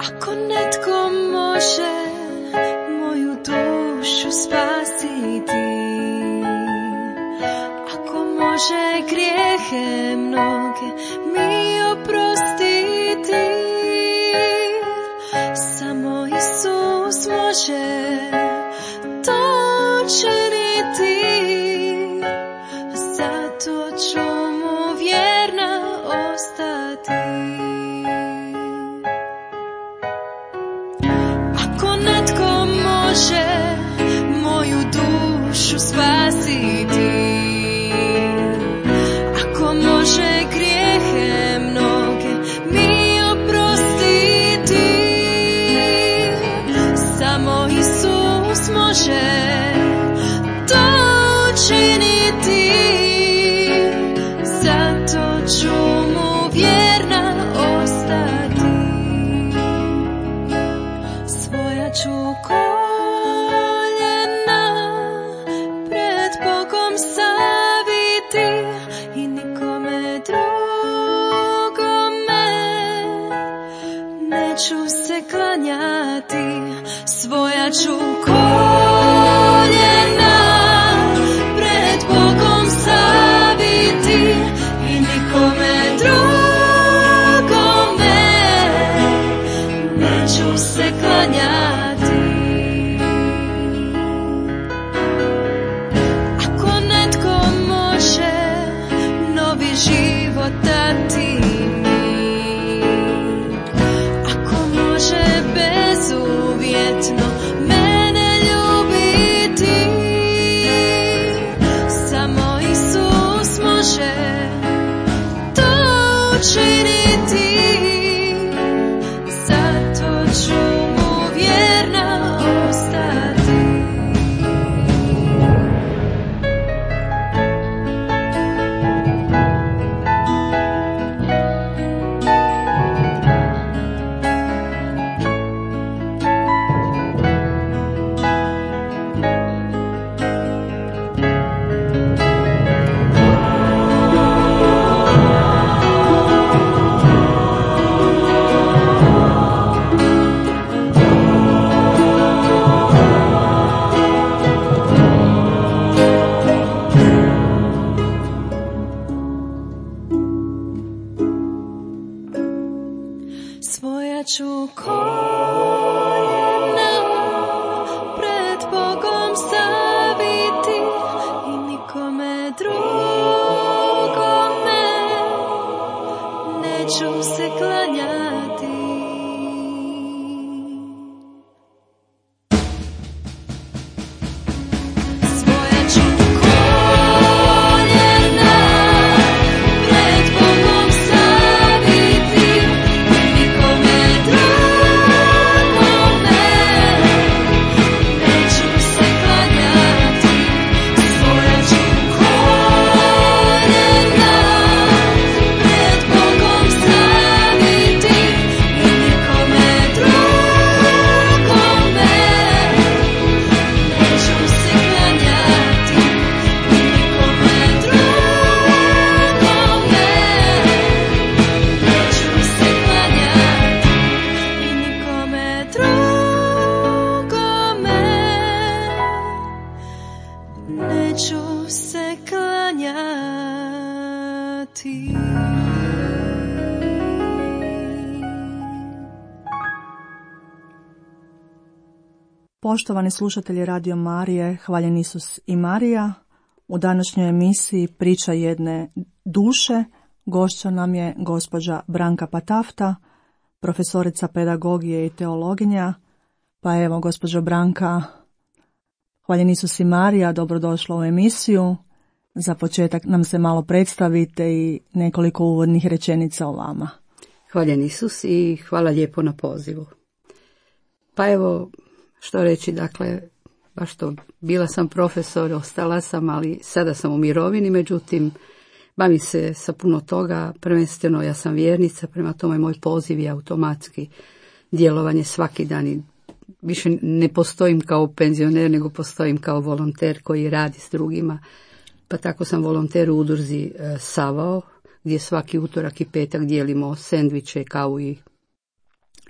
Ako netko može moju dušu spasiti, ako može grijehe mnoge mi oprostiti, samo Isus može to činiti, zato ću mu vjerna ostati. Ako netko može moju dušu spasiti, ako može grijehe mnoge mi oprostiti, samo Isus može to učiniti, zato ću mu vjerna ostati. Svoja ću koljena pred Bogom staviti i nikome drugome neću se klanjati. Svoja ću koljena pred Bogom staviti i nikome drugome neću se klanjati. Ako netko može novi život dati mi, ako može bezuvjetno mene ljubiti, samo Isus može to učiniti, zato ću mu vjerna ostati. Svoja ću koljena pred Bogom staviti i nikome drugome neću se klanjati. Svoja ću koljena pred Bogom staviti i nikome drugome neću se klanjati. Svoja ću koljena pred Bogom staviti i nikome drugome neću se klanjati. I nikome drugome neću se klanjati. I nikome drugome neću se klanjati. Poštovani slušatelji Radio Marije, hvaljen Isus i Marija, u današnjoj emisiji Priča jedne duše gošća nam je gospođa Branka Patafta, profesorica pedagogije i teologinja. Pa evo, gospođo Branka, hvaljen Isus i Marija, dobrodošla u emisiju. Za početak nam se malo predstavite i nekoliko uvodnih rečenica o vama. Hvaljen Isus i hvala lijepo na pozivu. Pa evo, što reći, dakle, baš to, bila sam profesor, ostala sam, ali sada sam u mirovini, međutim, bavim se sa puno toga, prvenstveno ja sam vjernica, prema tome moj poziv je automatski djelovanje svaki dan i više ne postojim kao penzioner, nego postojim kao volonter koji radi s drugima. Pa tako sam volonter u udruzi Savao, gdje svaki utorak i petak dijelimo sendviče, kavu i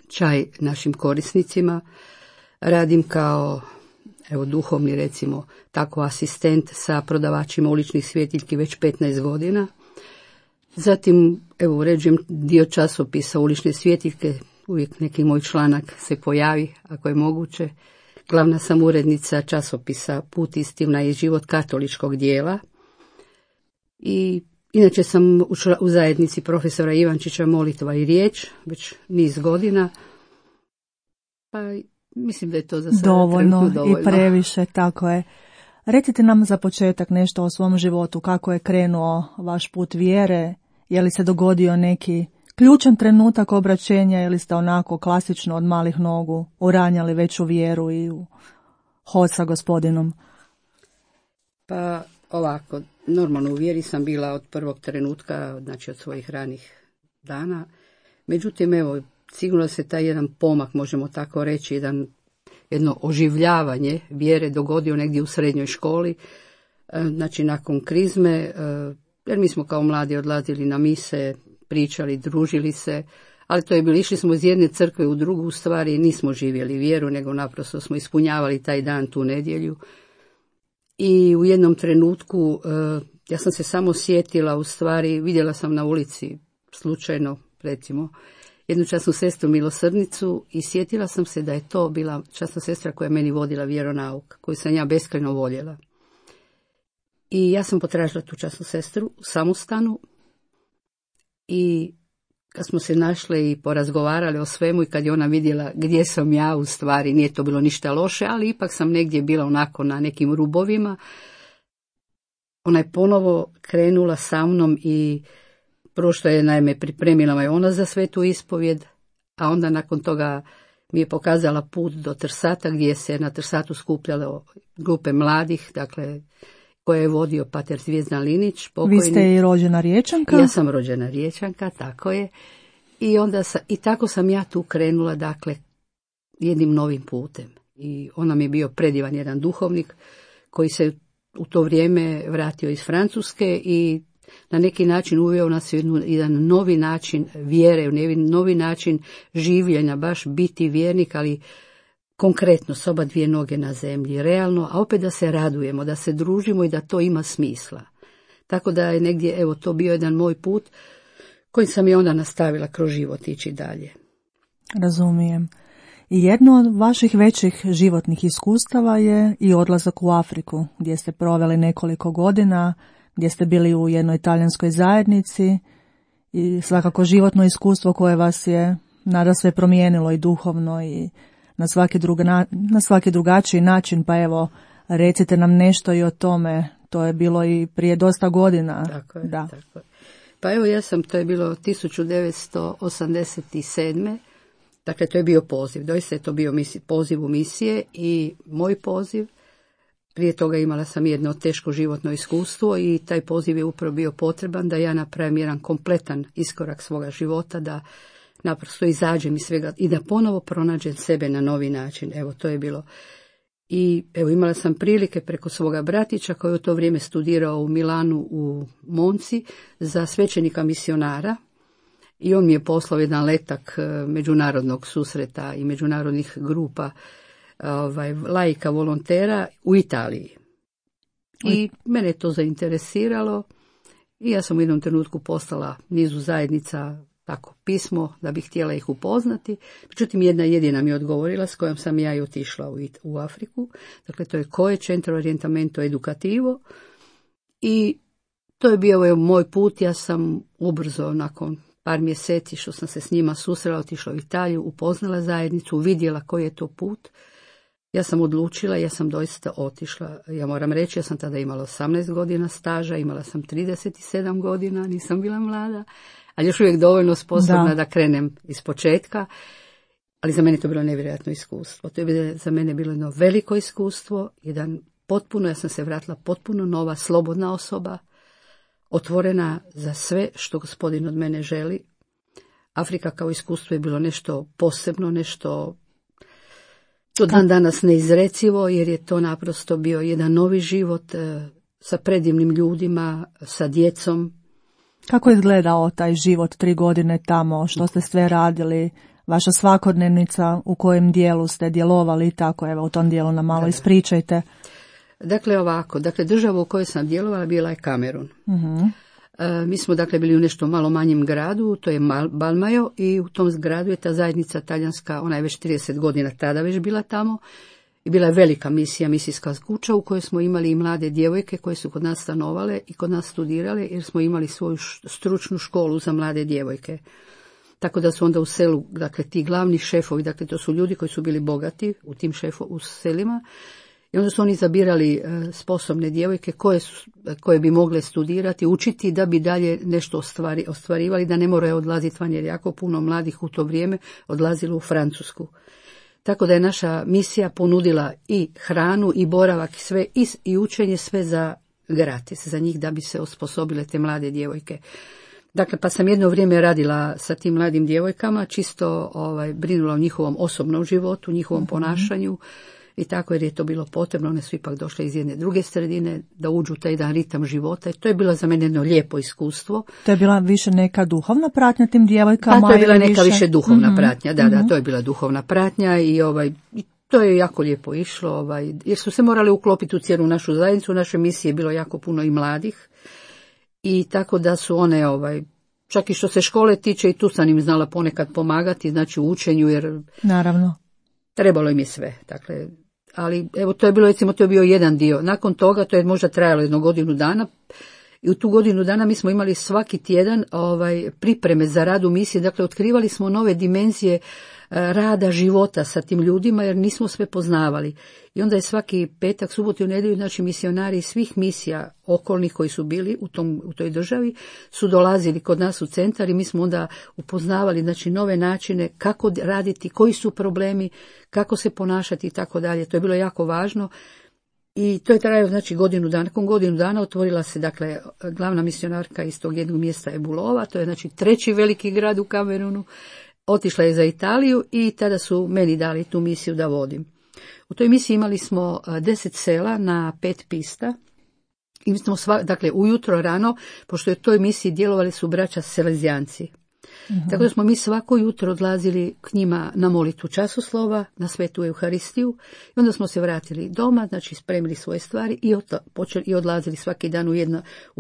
čaj našim korisnicima. Radim kao duhovni, recimo, tako asistent sa prodavačima uličnih svjetiljki već 15 godina. Zatim, uređujem dio časopisa ulične svjetiljke, uvijek neki moj članak se pojavi, ako je moguće. Glavna sam urednica časopisa Put, istina i život katoličkog dijela. I inače sam u zajednici profesora Ivančića Molitva i riječ, već niz godina. Pa mislim da je to za sada dovoljno dovoljno. I previše, tako je. Recite nam za početak nešto o svom životu, kako je krenuo vaš put vjere, je li se dogodio neki ključan trenutak obraćenja ili ste onako klasično od malih nogu uranjali već u vjeru i u hod sa Gospodinom? Pa ovako, normalno u vjeri sam bila od prvog trenutka, znači od svojih ranih dana. Međutim, sigurno se taj jedan pomak, možemo tako reći, jedno oživljavanje vjere dogodio negdje u srednjoj školi, znači nakon krizme, jer mi smo kao mladi odlazili na mise, pričali, družili se, ali to je bilo, išli smo iz jedne crkve u drugu, u stvari nismo živjeli vjeru, nego naprosto smo ispunjavali taj dan, tu nedjelju. I u jednom trenutku, ja sam se samo sjetila, u stvari, vidjela sam na ulici, slučajno, recimo, jednu časnu sestru milosrdnicu i sjetila sam se da je to bila časna sestra koja je meni vodila vjeronauk, koju sam ja beskrajno voljela. I ja sam potražila tu časnu sestru u samostanu i kad smo se našle i porazgovarali o svemu i kad je ona vidjela gdje sam ja, u stvari nije to bilo ništa loše, ali ipak sam negdje bila onako na nekim rubovima, ona je ponovo krenula sa mnom i prvo što je naime pripremila me ona za svetu ispovjed, a onda nakon toga mi je pokazala put do Trsata gdje se na Trsatu skupljalo grupe mladih, dakle koje je vodio pater Zvijezdan Linić. Pokojni. Vi ste i rođena Riječanka? Ja sam rođena Riječanka, tako je. I tako sam ja tu krenula, dakle, jednim novim putem. I on nam je bio predivan jedan duhovnik koji se u to vrijeme vratio iz Francuske i na neki način uveo nas u jedan novi način vjere, novi način življenja, baš biti vjernik, ali konkretno s oba dvije noge na zemlji, realno, a opet da se radujemo, da se družimo i da to ima smisla. Tako da je negdje, to bio jedan moj put koji sam i onda nastavila kroz život ići dalje. Razumijem. I jedno od vaših većih životnih iskustava je i odlazak u Afriku, gdje ste proveli nekoliko godina, gdje ste bili u jednoj talijanskoj zajednici i svakako životno iskustvo koje vas je nadasve promijenilo i duhovno i na svaki drugačiji način, pa recite nam nešto i o tome, to je bilo i prije dosta godina. Tako je, da. Tako je. Pa to je bilo 1987. Dakle, to je bio poziv, doista je to bio poziv u misije i moj poziv. Prije toga imala sam jedno teško životno iskustvo i taj poziv je upravo bio potreban da ja napravim jedan kompletan iskorak svoga života, da naprosto izađem iz svega i da ponovo pronađem sebe na novi način. To je bilo. I imala sam prilike preko svoga bratića koji je u to vrijeme studirao u Milanu u Monci za svećenika misionara i on mi je poslao jedan letak međunarodnog susreta i međunarodnih grupa laika volontera u Italiji. I mene je to zainteresiralo i ja sam u jednom trenutku poslala nizu zajednica tako pismo da bih htjela ih upoznati. Međutim, jedna jedina mi je odgovorila s kojom sam ja i otišla u Afriku. Dakle, to je COE, Centro Orientamento Educativo. I to je bio moj put. Ja sam ubrzo, nakon par mjeseci što sam se s njima susrela, otišla u Italiju, upoznala zajednicu, vidjela koji je to put. Ja sam odlučila, ja sam doista otišla. Ja moram reći, ja sam tada imala 18 godina staža, imala sam 37 godina, nisam bila mlada, ali još uvijek dovoljno sposobna da krenem iz početka. Ali za mene to bilo nevjerojatno iskustvo. To je za mene bilo jedno veliko iskustvo, ja sam se vratila potpuno nova, slobodna osoba, otvorena za sve što Gospodin od mene želi. Afrika kao iskustvo je bilo nešto posebno, nešto do dan danas neizrecivo, jer je to naprosto bio jedan novi život sa predivnim ljudima, sa djecom. Kako je izgledao taj život 3 godine tamo, što ste sve radili, vaša svakodnevnica, u kojem dijelu ste djelovali i tako, evo u tom dijelu nam malo ispričajte. Dakle ovako, država u kojoj sam djelovala bila je Kamerun. Mi smo bili u nešto malo manjem gradu, to je Balmajo, i u tom gradu je ta zajednica talijanska, ona je već 30 godina tada već bila tamo. I bila je velika misija, misijska kuća u kojoj smo imali i mlade djevojke koje su kod nas stanovale i kod nas studirale, jer smo imali svoju stručnu školu za mlade djevojke. Tako da su onda u selu, ti glavni šefovi, to su ljudi koji su bili bogati u selima, i onda su oni zabirali sposobne djevojke koje bi mogle studirati, učiti da bi dalje nešto ostvarivali, da ne moraju odlaziti van, jer jako puno mladih u to vrijeme odlazilo u Francusku. Tako da je naša misija ponudila i hranu i boravak i sve i učenje sve za gratis, za njih da bi se osposobile te mlade djevojke. Pa sam jedno vrijeme radila sa tim mladim djevojkama, čisto brinula o njihovom osobnom životu, njihovom ponašanju i tako, jer je to bilo potrebno. One su ipak došle iz jedne druge sredine da uđu u taj jedan ritam života i to je bilo za mene jedno lijepo iskustvo. To je bila više neka duhovna pratnja tim djevojkama? Pa to je bila neka više duhovna pratnja, da, to je bila duhovna pratnja i to je jako lijepo išlo, jer su se morali uklopiti u cijelu našu zajednicu. U našoj misiji je bilo jako puno i mladih i tako da su one, čak i što se škole tiče, i tu sam im znala ponekad pomagati, znači u učenju, jer naravno trebalo im je sve, ali evo to je bilo, recimo, to je bio jedan dio. Nakon toga, to je možda trajalo jedno godinu dana, i u tu godinu dana mi smo imali svaki tjedan pripreme za rad u misiji, otkrivali smo nove dimenzije rada, života sa tim ljudima, jer nismo sve poznavali. I onda je svaki petak, subotu i nedjelju, znači misionari iz svih misija okolnih koji su bili u toj državi su dolazili kod nas u centar i mi smo onda upoznavali, znači, nove načine kako raditi, koji su problemi, kako se ponašati i tako dalje. To je bilo jako važno. I to je trajalo, znači, godinu dana. Nakon godinu dana otvorila se, glavna misionarka iz tog jednog mjesta je Bulova, to je, znači, 3. veliki grad u Kamerunu. Otišla je za Italiju i tada su meni dali tu misiju da vodim. U toj misiji imali smo 10 sela na 5 pista. I mi smo ujutro rano, pošto je u toj misiji djelovali su braća Selezijanci. Tako da smo mi svako jutro odlazili k njima na molitvu časoslova, na svetu Euharistiju, i onda smo se vratili doma, znači spremili svoje stvari i odlazili svaki dan u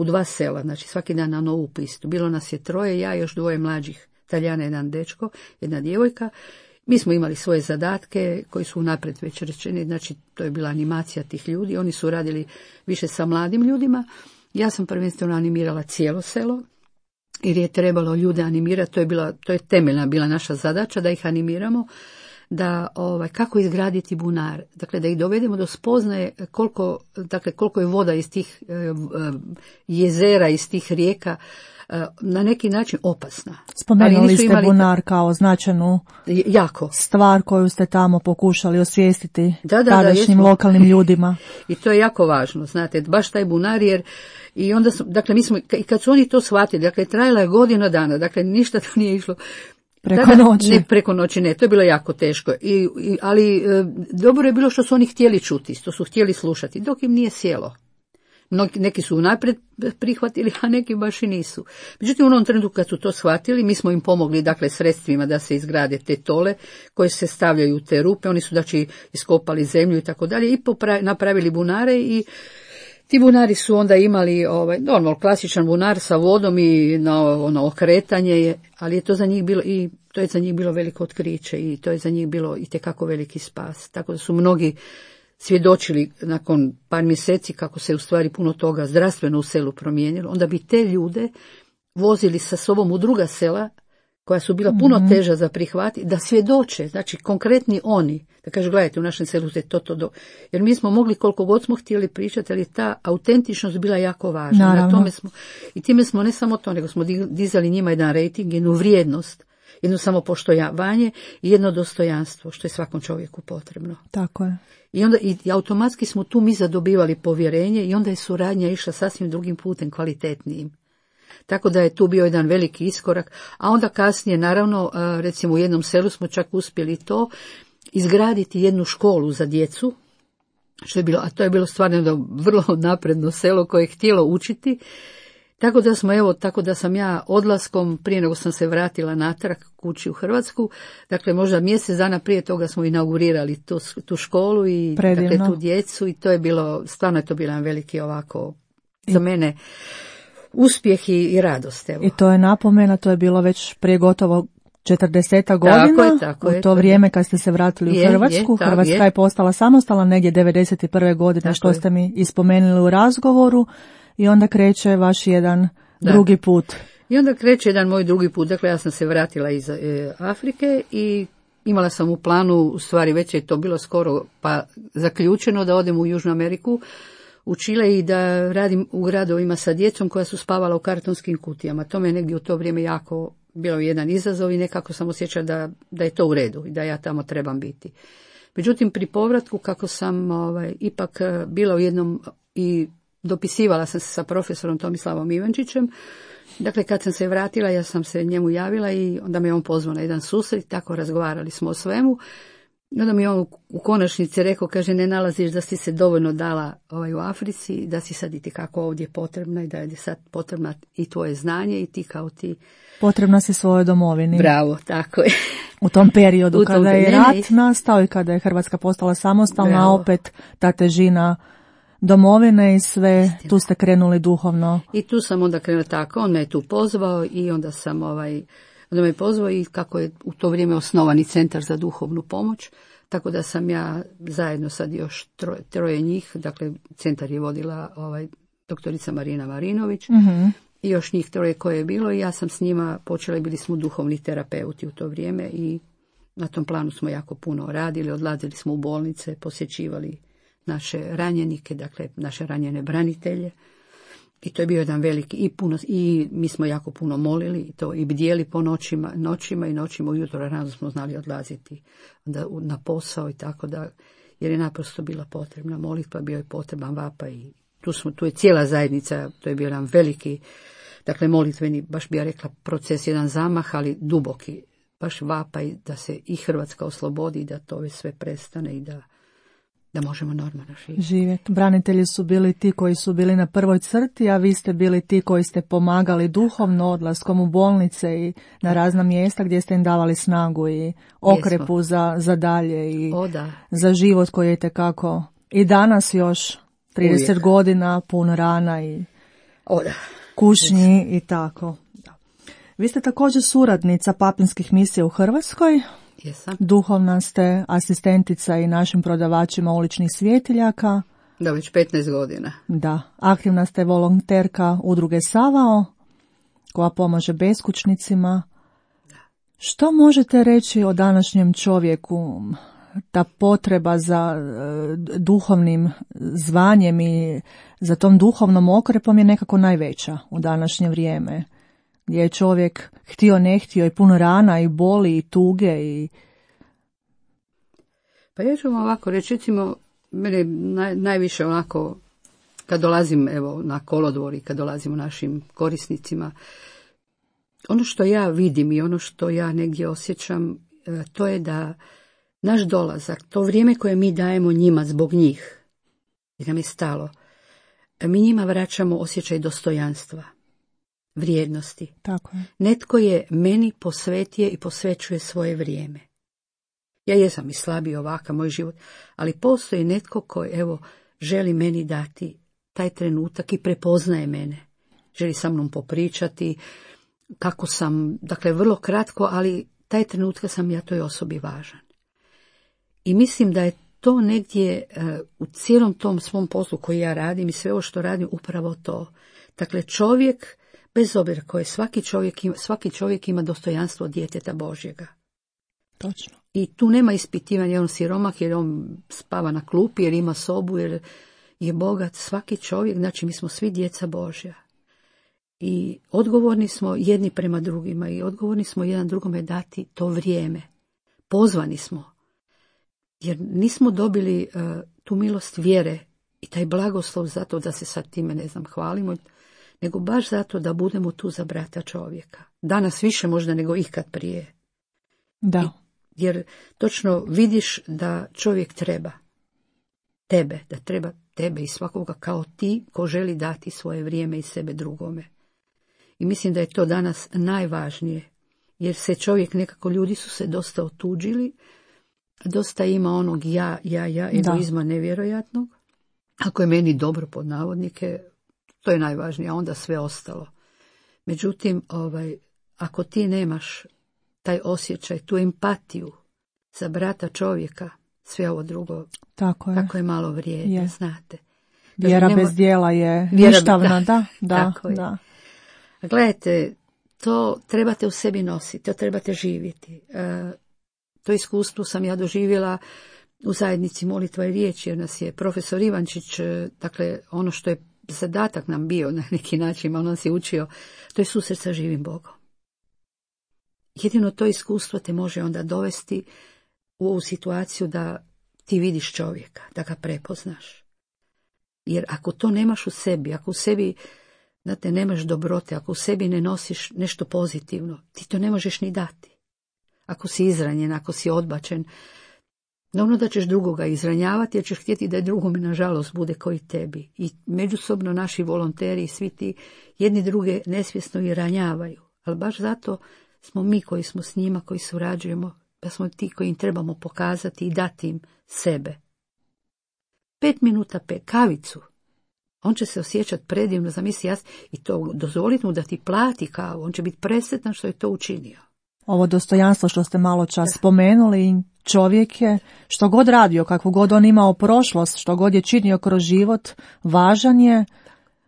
2 sela, znači svaki dan na novu pistu. Bilo nas je 3, ja i još 2 mlađih Talijana, jedan dečko, jedna djevojka. Mi smo imali svoje zadatke koji su unaprijed već rečeni, znači to je bila animacija tih ljudi, oni su radili više sa mladim ljudima. Ja sam prvenstveno animirala cijelo selo, jer je trebalo ljude animirati, to je temeljna bila naša zadaća, da ih animiramo, da kako izgraditi bunar, da ih dovedemo do spoznaje koliko je voda iz tih jezera, iz tih rijeka na neki način opasna. Spomenuli ste bunar kao značajnu stvar koju ste tamo pokušali osvijestiti tadašnjim lokalnim ljudima. I to je jako važno, znate, baš taj bunar, jer i onda mi smo, i kad su oni to shvatili, trajala je godina dana, ništa to nije išlo preko noći. Ne, preko noći ne, to je bilo jako teško, ali dobro je bilo što su oni htjeli čuti, što su htjeli slušati, dok im nije sjelo. Neki su unaprijed prihvatili, a neki baš i nisu. Međutim, u onom trenutku kad su to shvatili, mi smo im pomogli, sredstvima da se izgrade te tole koje se stavljaju u te rupe. Oni su, iskopali zemlju i tako dalje i napravili bunare, i ti bunari su onda imali normalno klasičan bunar sa vodom i na okretanje, ali je to za njih bilo to je za njih bilo veliko otkriće i to je za njih bilo itekako veliki spas. Tako da su mnogi svjedočili nakon par mjeseci kako se u stvari puno toga zdravstveno u selu promijenilo. Onda bi te ljude vozili sa sobom u druga sela koja su bila puno teža za prihvatiti, da svjedoče, znači konkretni oni, da kažu, gledajte, u našem selu je to. Jer mi smo mogli koliko god smo htjeli pričati, ali ta autentičnost bila jako važna. Na tome smo, i time smo ne samo to, nego smo dizali njima jedan rating, jednu vrijednost, jedno samopoštovanje i jedno dostojanstvo, što je svakom čovjeku potrebno. Tako je. I onda i automatski smo tu mi zadobivali povjerenje i onda je suradnja išla sasvim drugim putem, kvalitetnijim. Tako da je tu bio jedan veliki iskorak, a onda kasnije, naravno, recimo u jednom selu smo čak uspjeli to, izgraditi jednu školu za djecu, što je bilo, a to je bilo stvarno vrlo napredno selo koje je htjelo učiti, Tako da sam ja odlaskom, prije nego sam se vratila natrag kući u Hrvatsku, dakle možda mjesec dana prije toga smo inaugurirali tu školu i dakle, tu djecu i to je bilo, stvarno je to bilo jedan veliki ovako, za mene, uspjeh i radost. Evo. I to je napomena, to je bilo već prije gotovo 40 godina, tako u to vrijeme kad ste se vratili u Hrvatsku. Hrvatska je postala samostalna negdje 91. godine, tako što ste mi ispomenuli u razgovoru, i onda kreće vaš jedan drugi put. I onda kreće jedan moj drugi put, dakle ja sam se vratila iz Afrike i imala sam u planu, u stvari već je to bilo skoro pa zaključeno, da odem u Južnu Ameriku, u Čile i da radim u gradovima sa djecom koja su spavala u kartonskim kutijama. To me negdje u to vrijeme jako bilo jedan izazov i nekako sam osjećala da je to u redu i da ja tamo trebam biti. Međutim, pri povratku, kako sam ipak bila u jednom i dopisivala sam se sa profesorom Tomislavom Ivančićem, dakle kad sam se vratila ja sam se njemu javila i onda me on pozvao na jedan susret, tako razgovarali smo o svemu. I onda mi on u konačnici rekao, kaže, ne nalaziš da si se dovoljno dala u Africi, da si sad i kako ovdje potrebna i da je sad potrebna i tvoje znanje i ti kao ti. Potrebna si svojoj domovini. Bravo, tako je. U tom periodu kada je rat nastao i kada je Hrvatska postala samostalna, opet ta težina domovine i sve, istina. Tu ste krenuli duhovno. I tu sam onda krenula tako, on me je tu pozvao i onda sam onda me pozvao i kako je u to vrijeme osnovani centar za duhovnu pomoć, tako da sam ja zajedno sad još troje njih, dakle centar je vodila doktorica Marina Marinović, i još njih troje koje je bilo i ja sam s njima počela, bili smo duhovni terapeuti u to vrijeme i na tom planu smo jako puno radili, odlazili smo u bolnice, posjećivali naše ranjenike, dakle naše ranjene branitelje. I to je bio jedan veliki i mi smo jako puno molili i to i bdjeli po noćima ujutro rano smo znali odlaziti na posao i tako da, jer je naprosto bila potrebna molitva, bio je potreban vapaj i tu je cijela zajednica, to je bio jedan veliki, dakle molitveni, baš bi ja rekla proces, jedan zamah, ali duboki, baš vapaj da se i Hrvatska oslobodi, da to već sve prestane i da možemo normalno živjeti. Branitelji su bili ti koji su bili na prvoj crti, a vi ste bili ti koji ste pomagali duhovno odlaskom u bolnice i na razna mjesta gdje ste im davali snagu i okrepu za dalje i za život koji je itekako i danas još 30 godina, puno rana i kušnji i tako. Vi ste također suradnica papinskih misija u Hrvatskoj. Jesam. Duhovna ste asistentica i našim prodavačima uličnih svjetiljaka. Da, već 15 godina. Da, aktivna ste volonterka udruge Savao, koja pomaže beskućnicima. Da. Što možete reći o današnjem čovjeku? Ta potreba za duhovnim zvanjem i za tom duhovnom okrepom je nekako najveća u današnje vrijeme, gdje je čovjek htio ne htio i puno rana i boli i tuge i... Pa ja ću vam ovako reći, recimo, mene najviše onako, kad dolazim na kolodvor i kad dolazimo našim korisnicima, ono što ja vidim i ono što ja negdje osjećam, to je da naš dolazak, to vrijeme koje mi dajemo njima zbog njih, jer nam je stalo, mi njima vraćamo osjećaj dostojanstva, vrijednosti. Tako je. Netko je meni posvetio i posvećuje svoje vrijeme. Ja jesam i slabiji ovakav moj život, ali postoji netko koji želi meni dati taj trenutak i prepoznaje mene. Želi sa mnom popričati kako sam, dakle vrlo kratko, ali taj trenutak sam ja toj osobi važan. I mislim da je to negdje u cijelom tom svom poslu koji ja radim i sve ovo što radim upravo to. Dakle, čovjek, bez obzira koji svaki čovjek ima dostojanstvo djeteta Božjega. Točno. I tu nema ispitivanja, jer on siromah, jer on spava na klupi, jer ima sobu, jer je bogat. Svaki čovjek, znači mi smo svi djeca Božja. I odgovorni smo jedni prema drugima i odgovorni smo jedan drugome dati to vrijeme. Pozvani smo. Jer nismo dobili tu milost vjere i taj blagoslov zato da se sad time, hvalimo, nego baš zato da budemo tu za brata čovjeka. Danas više možda nego ikad prije. Da. Jer točno vidiš da čovjek treba tebe, da treba tebe i svakoga kao ti ko želi dati svoje vrijeme i sebe drugome. I mislim da je to danas najvažnije. Jer se čovjek nekako, ljudi su se dosta otuđili, dosta ima onog ja, egoizma nevjerojatnog. Ako je meni dobro, pod navodnike, to je najvažnije, a onda sve ostalo. Međutim, ako ti nemaš taj osjećaj, tu empatiju za brata čovjeka, sve ovo drugo, tako je malo vrijedno, znate. Vjera bez djela je ništavna, da. Gledajte, to trebate u sebi nositi, to trebate živjeti. To iskustvo sam ja doživjela u zajednici Molitva i riječ, jer nas je profesor Ivančić, dakle ono što je zadatak nam bio na neki način, on nas je učio, to je susret sa živim Bogom. Jedino to iskustvo te može onda dovesti u ovu situaciju da ti vidiš čovjeka, da ga prepoznaš. Jer ako to nemaš u sebi, ako u sebi znate, nemaš dobrote, ako u sebi ne nosiš nešto pozitivno, ti to ne možeš ni dati. Ako si izranjen, ako si odbačen, naravno da ćeš drugoga izranjavati, jer ćeš htjeti da je drugome, nažalost, bude koji tebi. I međusobno naši volonteri i svi ti jedni druge nesvjesno i ranjavaju. Ali baš zato smo mi koji smo s njima, koji surađujemo, da smo ti koji im trebamo pokazati i dati im sebe. 5 minuta kavicu. On će se osjećati predivno, zamisli i to dozvoliti mu da ti plati kavu. On će biti presretan što je to učinio. Ovo dostojanstvo što ste malo čas spomenuli, čovjek je, što god radio, kakvu god on imao prošlost, što god je činio kroz život, važan je,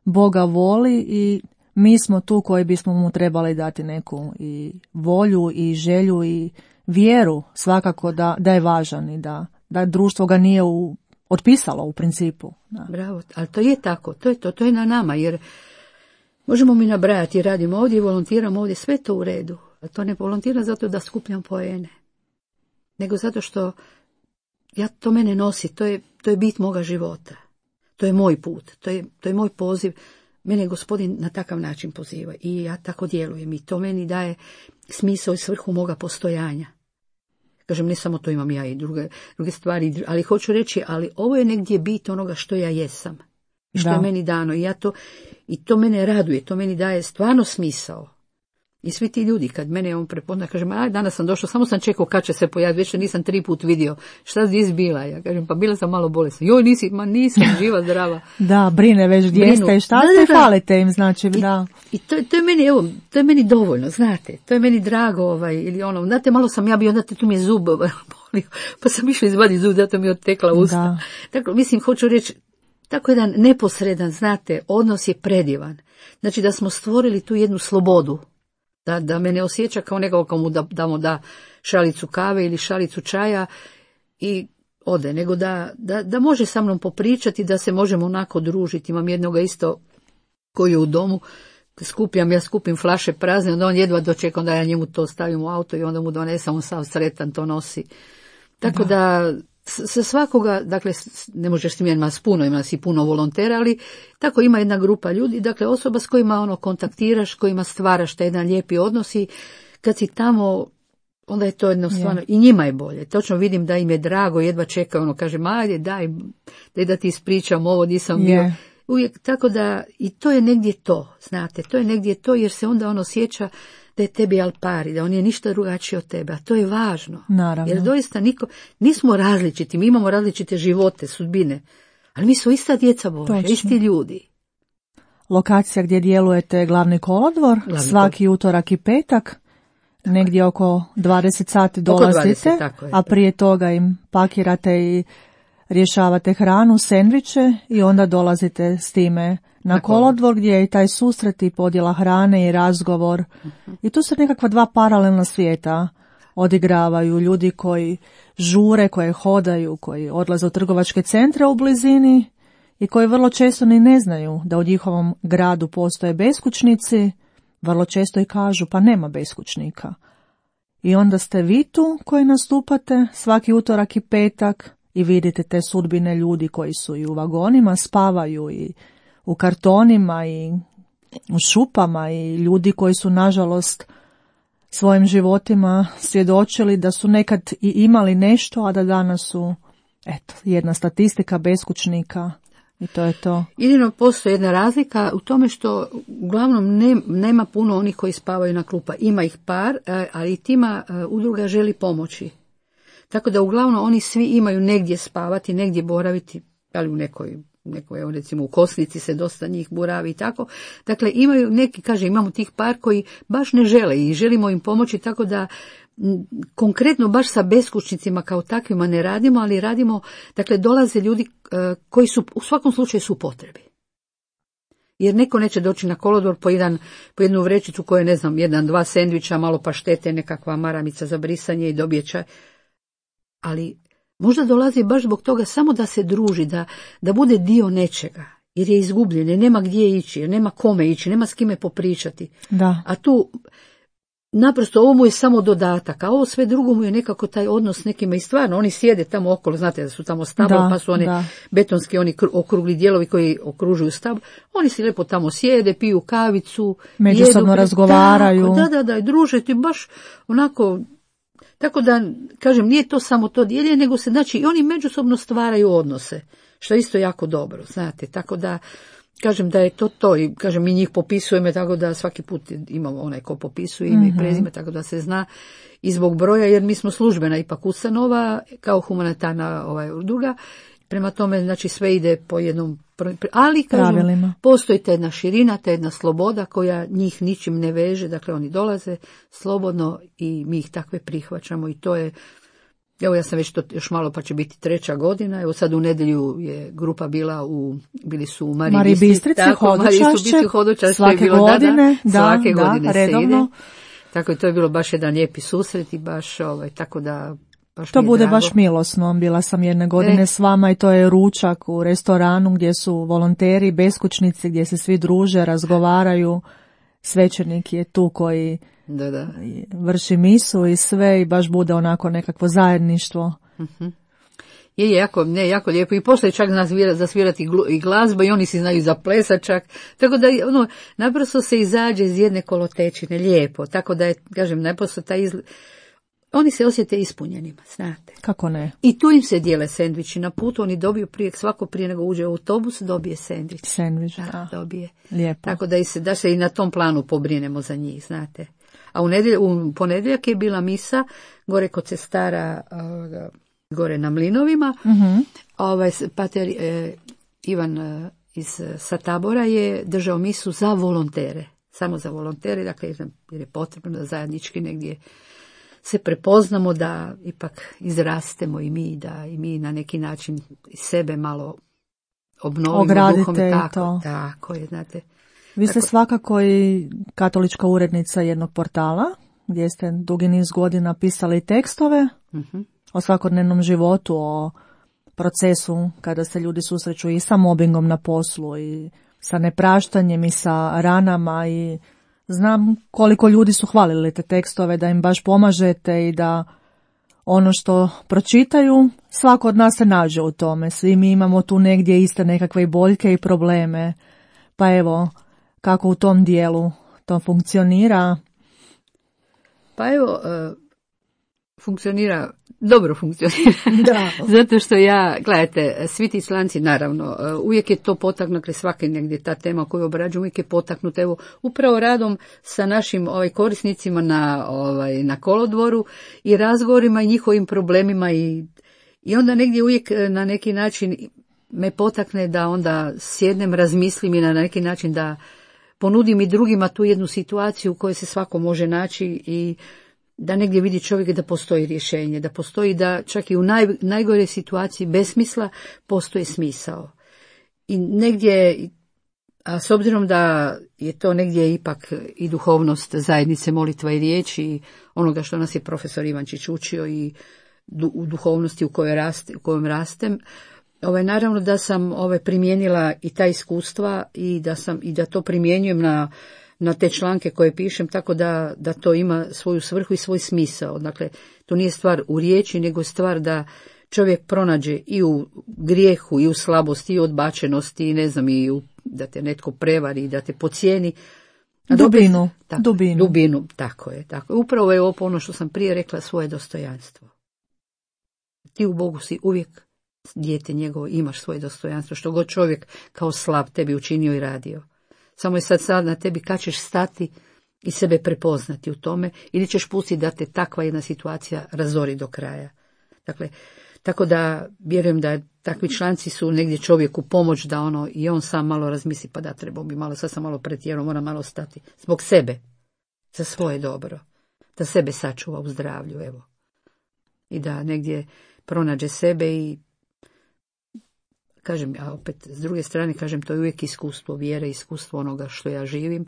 Boga voli i mi smo tu koji bismo mu trebali dati neku i volju i želju i vjeru svakako da je važan i da društvo ga nije otpisalo u principu. Da. Bravo, ali to je tako, to je na nama, jer možemo mi nabrajati, radimo ovdje, volontiramo ovdje, sve to u redu. A to ne volontiram zato da skupljam poene, nego zato što to mene nosi, to je bit moga života. To je moj put, to je moj poziv. Mene Gospodin na takav način poziva i ja tako djelujem i to meni daje smisao i svrhu moga postojanja. Kažem, ne samo to, imam ja i druge stvari, ali hoću reći, ali ovo je negdje bit onoga što ja jesam. I što je meni dano i to mene raduje, to meni daje stvarno smisao. I svi ti ljudi, kad mene on prepozna, kažem, danas sam došao, samo sam čekao kad će se pojaviti, već nisam 3 put vidio. Šta si bila? Ja kažem, pa bila sam malo bolesna. Joj, nisam živa, zdrava. Da, brine već gdje ste i šta ste, falite im, znači, da. I to je meni, to je meni dovoljno, znate, to je meni drago, ili znate, malo sam ja bio, znate, tu mi je zub bolio, pa sam išla izvaditi zub, zato mi je odtekla usta. Tako, mislim, hoću reći, tako jedan neposredan, znate, odnos je predivan. Znači da smo stvorili tu jednu slobodu. Da me ne osjeća kao nekoga komu da šalicu kave ili šalicu čaja i ode, nego da može sa mnom popričati, da se možemo onako družiti. Imam jednoga isto koji je u domu, ja skupim flaše prazne, onda on jedva dočeka, onda ja njemu to stavim u auto i onda mu donesem, on sav sretan to nosi. Tako da sa svakoga, dakle, ne možeš s njima, ima nas i puno volontera, ali tako ima jedna grupa ljudi, dakle osoba s kojima kontaktiraš, kojima stvaraš taj jedan lijepi odnos i kad si tamo, onda je to jednostavno, i njima je bolje. Točno vidim da im je drago, jedva čekaju, kažem, ajde, daj da ti ispričam ovo, nisam bio. Uvijek, tako da, i to je negdje to, znate, to je negdje to, jer se onda on osjeća da je tebi al pari, da on je ništa drugačiji od tebe, a to je važno. Naravno. Jer doista nismo različiti, mi imamo različite živote, sudbine, ali mi smo ista djeca Božja, isti ljudi. Lokacija gdje djelujete Glavni kolodvor, svaki utorak i petak, negdje oko 20 sati dolazite, 20, a prije toga im pakirate i rješavate hranu, sendviče i onda dolazite s time na kolodvor gdje je i taj susret i podjela hrane i razgovor. I tu se nekakva 2 paralelna svijeta odigravaju. Ljudi koji žure, koji hodaju, koji odlaze u trgovačke centre u blizini i koji vrlo često ni ne znaju da u njihovom gradu postoje beskućnici, vrlo često i kažu pa nema beskućnika. I onda ste vi tu koji nastupate svaki utorak i petak i vidite te sudbine ljudi koji su i u vagonima, spavaju i u kartonima i u šupama i ljudi koji su nažalost svojim životima svjedočili da su nekad i imali nešto, a da danas su jedna statistika beskućnika I to je to. Jedino postoji jedna razlika u tome što uglavnom nema puno onih koji spavaju na klupa. Ima ih par, ali tima udruga želi pomoći. Tako da uglavnom oni svi imaju negdje spavati, negdje boraviti, ali u nekoj evo recimo u Kosnici se dosta njih boravi i tako. Dakle, imaju neki, imamo tih par koji baš ne žele i želimo im pomoći, tako da konkretno baš sa beskućnicima kao takvima ne radimo, ali radimo, dakle dolaze ljudi koji su u svakom slučaju su u potrebi. Jer neko neće doći na kolodvor po jednu vrećicu koja je, ne znam, 1-2 sendviča, malo paštete, nekakva maramica za brisanje i dobije čaj. Ali možda dolazi baš zbog toga samo da se druži, da bude dio nečega, jer je izgubljen, jer nema gdje ići, jer nema kome ići, nema s kime popričati. Da. A tu naprosto ovo mu je samo dodatak, a ovo sve drugo mu je nekako taj odnos s nekima i stvarno oni sjede tamo okolo, znate da su tamo stabla, pa su one betonski oni okrugli dijelovi koji okružuju stablo, oni si lijepo tamo sjede, piju kavicu, međusobno razgovaraju. Da, i druže ti baš onako. Tako da, nije to samo to dijeljenje, nego se, znači, i oni međusobno stvaraju odnose, što je isto jako dobro, znate, tako da, da je to i, mi njih popisujemo, tako da svaki put imamo onaj ko popisuje ime i prezime, tako da se zna i zbog broja, jer mi smo službena ipak ustanova, kao humanitarna udruga, prema tome, znači, sve ide po jednom, ali, postoji ta jedna širina, ta jedna sloboda koja njih ničim ne veže, dakle, oni dolaze slobodno i mi ih takve prihvaćamo i to je, evo ja sam već to još malo pa će biti 3. godina, evo sad u nedjelju je grupa bili su u Mariji Bistrici, Hodočašće, svake godine, svake godine redovno. Se ide. Tako je, to je bilo baš jedan lijepi susret i baš, tako da, to bude drago. Baš milosno. Bila sam jedne godine s vama i to je ručak u restoranu gdje su volonteri, beskućnici, gdje se svi druže, razgovaraju. Svećenik je tu koji vrši misu i sve i baš bude onako nekakvo zajedništvo. Uh-huh. Je jako lijepo i poslije čak zasvirati i glazba i oni si znaju zaplesat čak. Tako da naprosto se izađe iz jedne kolotečine lijepo. Tako da je, naprosto taj oni se osjete ispunjenima, znate. Kako ne? I tu im se dijele sendviči na putu, oni dobiju svako prije nego uđe u autobus, dobije sendvič. Sendvič, dobije. Lijepo. Tako da se i na tom planu pobrinemo za njih, znate. A u ponedjeljak je bila misa, gore kod sestara, gore na Mlinovima. Uh-huh. Pater Ivan sa Tabora je držao misu za volontere. Samo za volontere, dakle, jer je potrebno da zajednički negdje se prepoznamo, da ipak izrastemo i mi, da i mi na neki način sebe malo obnovimo. Ogradite duhom. Tako je, znate. Vi ste svakako i katolička urednica jednog portala, gdje ste dugi niz godina pisali tekstove o svakodnevnom životu, o procesu kada se ljudi susreću i sa mobingom na poslu i sa nepraštanjem i sa ranama i znam koliko ljudi su hvalili te tekstove, da im baš pomažete i da ono što pročitaju, svako od nas se nađe u tome. Svi mi imamo tu negdje iste nekakve i boljke i probleme. Pa evo, kako u tom dijelu to funkcionira? Pa evo, dobro funkcionira. Da. Zato što gledajte, svi ti članci, naravno, uvijek je to potaknuto, svaki negdje ta tema koju obrađujem, uvijek je potaknuta, evo, upravo radom sa našim korisnicima na kolodvoru i razgovorima i njihovim problemima i onda negdje uvijek na neki način me potakne da onda sjednem, razmislim i na neki način da ponudim i drugima tu jednu situaciju u kojoj se svako može naći i da negdje vidi čovjek da postoji rješenje, da postoji, da čak i u najgore situaciji besmisla postoji smisao. I negdje, a s obzirom da je to negdje ipak i duhovnost zajednice molitva i riječi i onoga što nas je profesor Ivančić učio i u duhovnosti u kojom rastem, naravno da sam primijenila i ta iskustva i da to primjenjujem na te članke koje pišem, tako da to ima svoju svrhu i svoj smisao. Dakle, to nije stvar u riječi, nego je stvar da čovjek pronađe i u grijehu, i u slabosti, i u odbačenosti, i ne znam, da te netko prevari, da te pocijeni. Dubinu, tako je. Upravo je ono što sam prije rekla, svoje dostojanstvo. Ti u Bogu si uvijek dijete njegovo, imaš svoje dostojanstvo, što god čovjek kao slab tebi učinio i radio. Samo je sad na tebi kad ćeš stati i sebe prepoznati u tome, ili ćeš pustiti da te takva jedna situacija razori do kraja. Dakle, tako da vjerujem da takvi članci su negdje čovjeku pomoć da i on sam malo razmisli, pa da trebao bi malo, sad sam malo pretjerao, moram malo stati. Zbog sebe, za svoje dobro, da sebe sačuva u zdravlju, evo. I da negdje pronađe sebe i kažem, a opet s druge strane kažem, to je uvijek iskustvo vjere, iskustvo onoga što ja živim.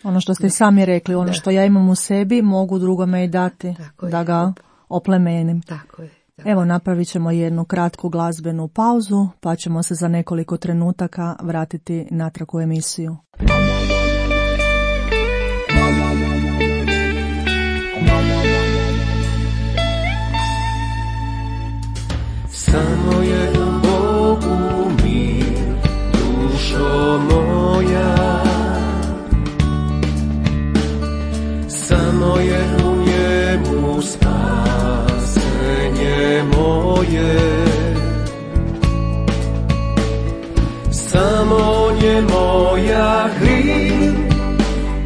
Ono što ste sami rekli, ono što ja imam u sebi, mogu drugome i dati, da ga oplemenim. Tako je. Evo, napravit ćemo jednu kratku glazbenu pauzu, pa ćemo se za nekoliko trenutaka vratiti natrag u emisiju. Samo je u Bogu mir, dušo moja. Samo je u njemu spasenje moje. Samo on je moja kril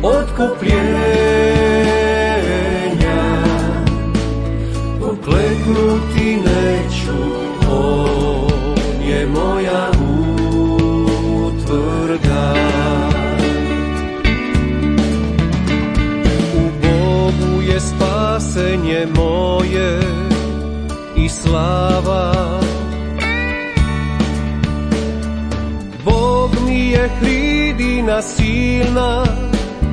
otkupljenja. Pokleknuti neću, on je moja utvrda. U Bogu je spasenje moje i slava. Bog mi je hridina silna,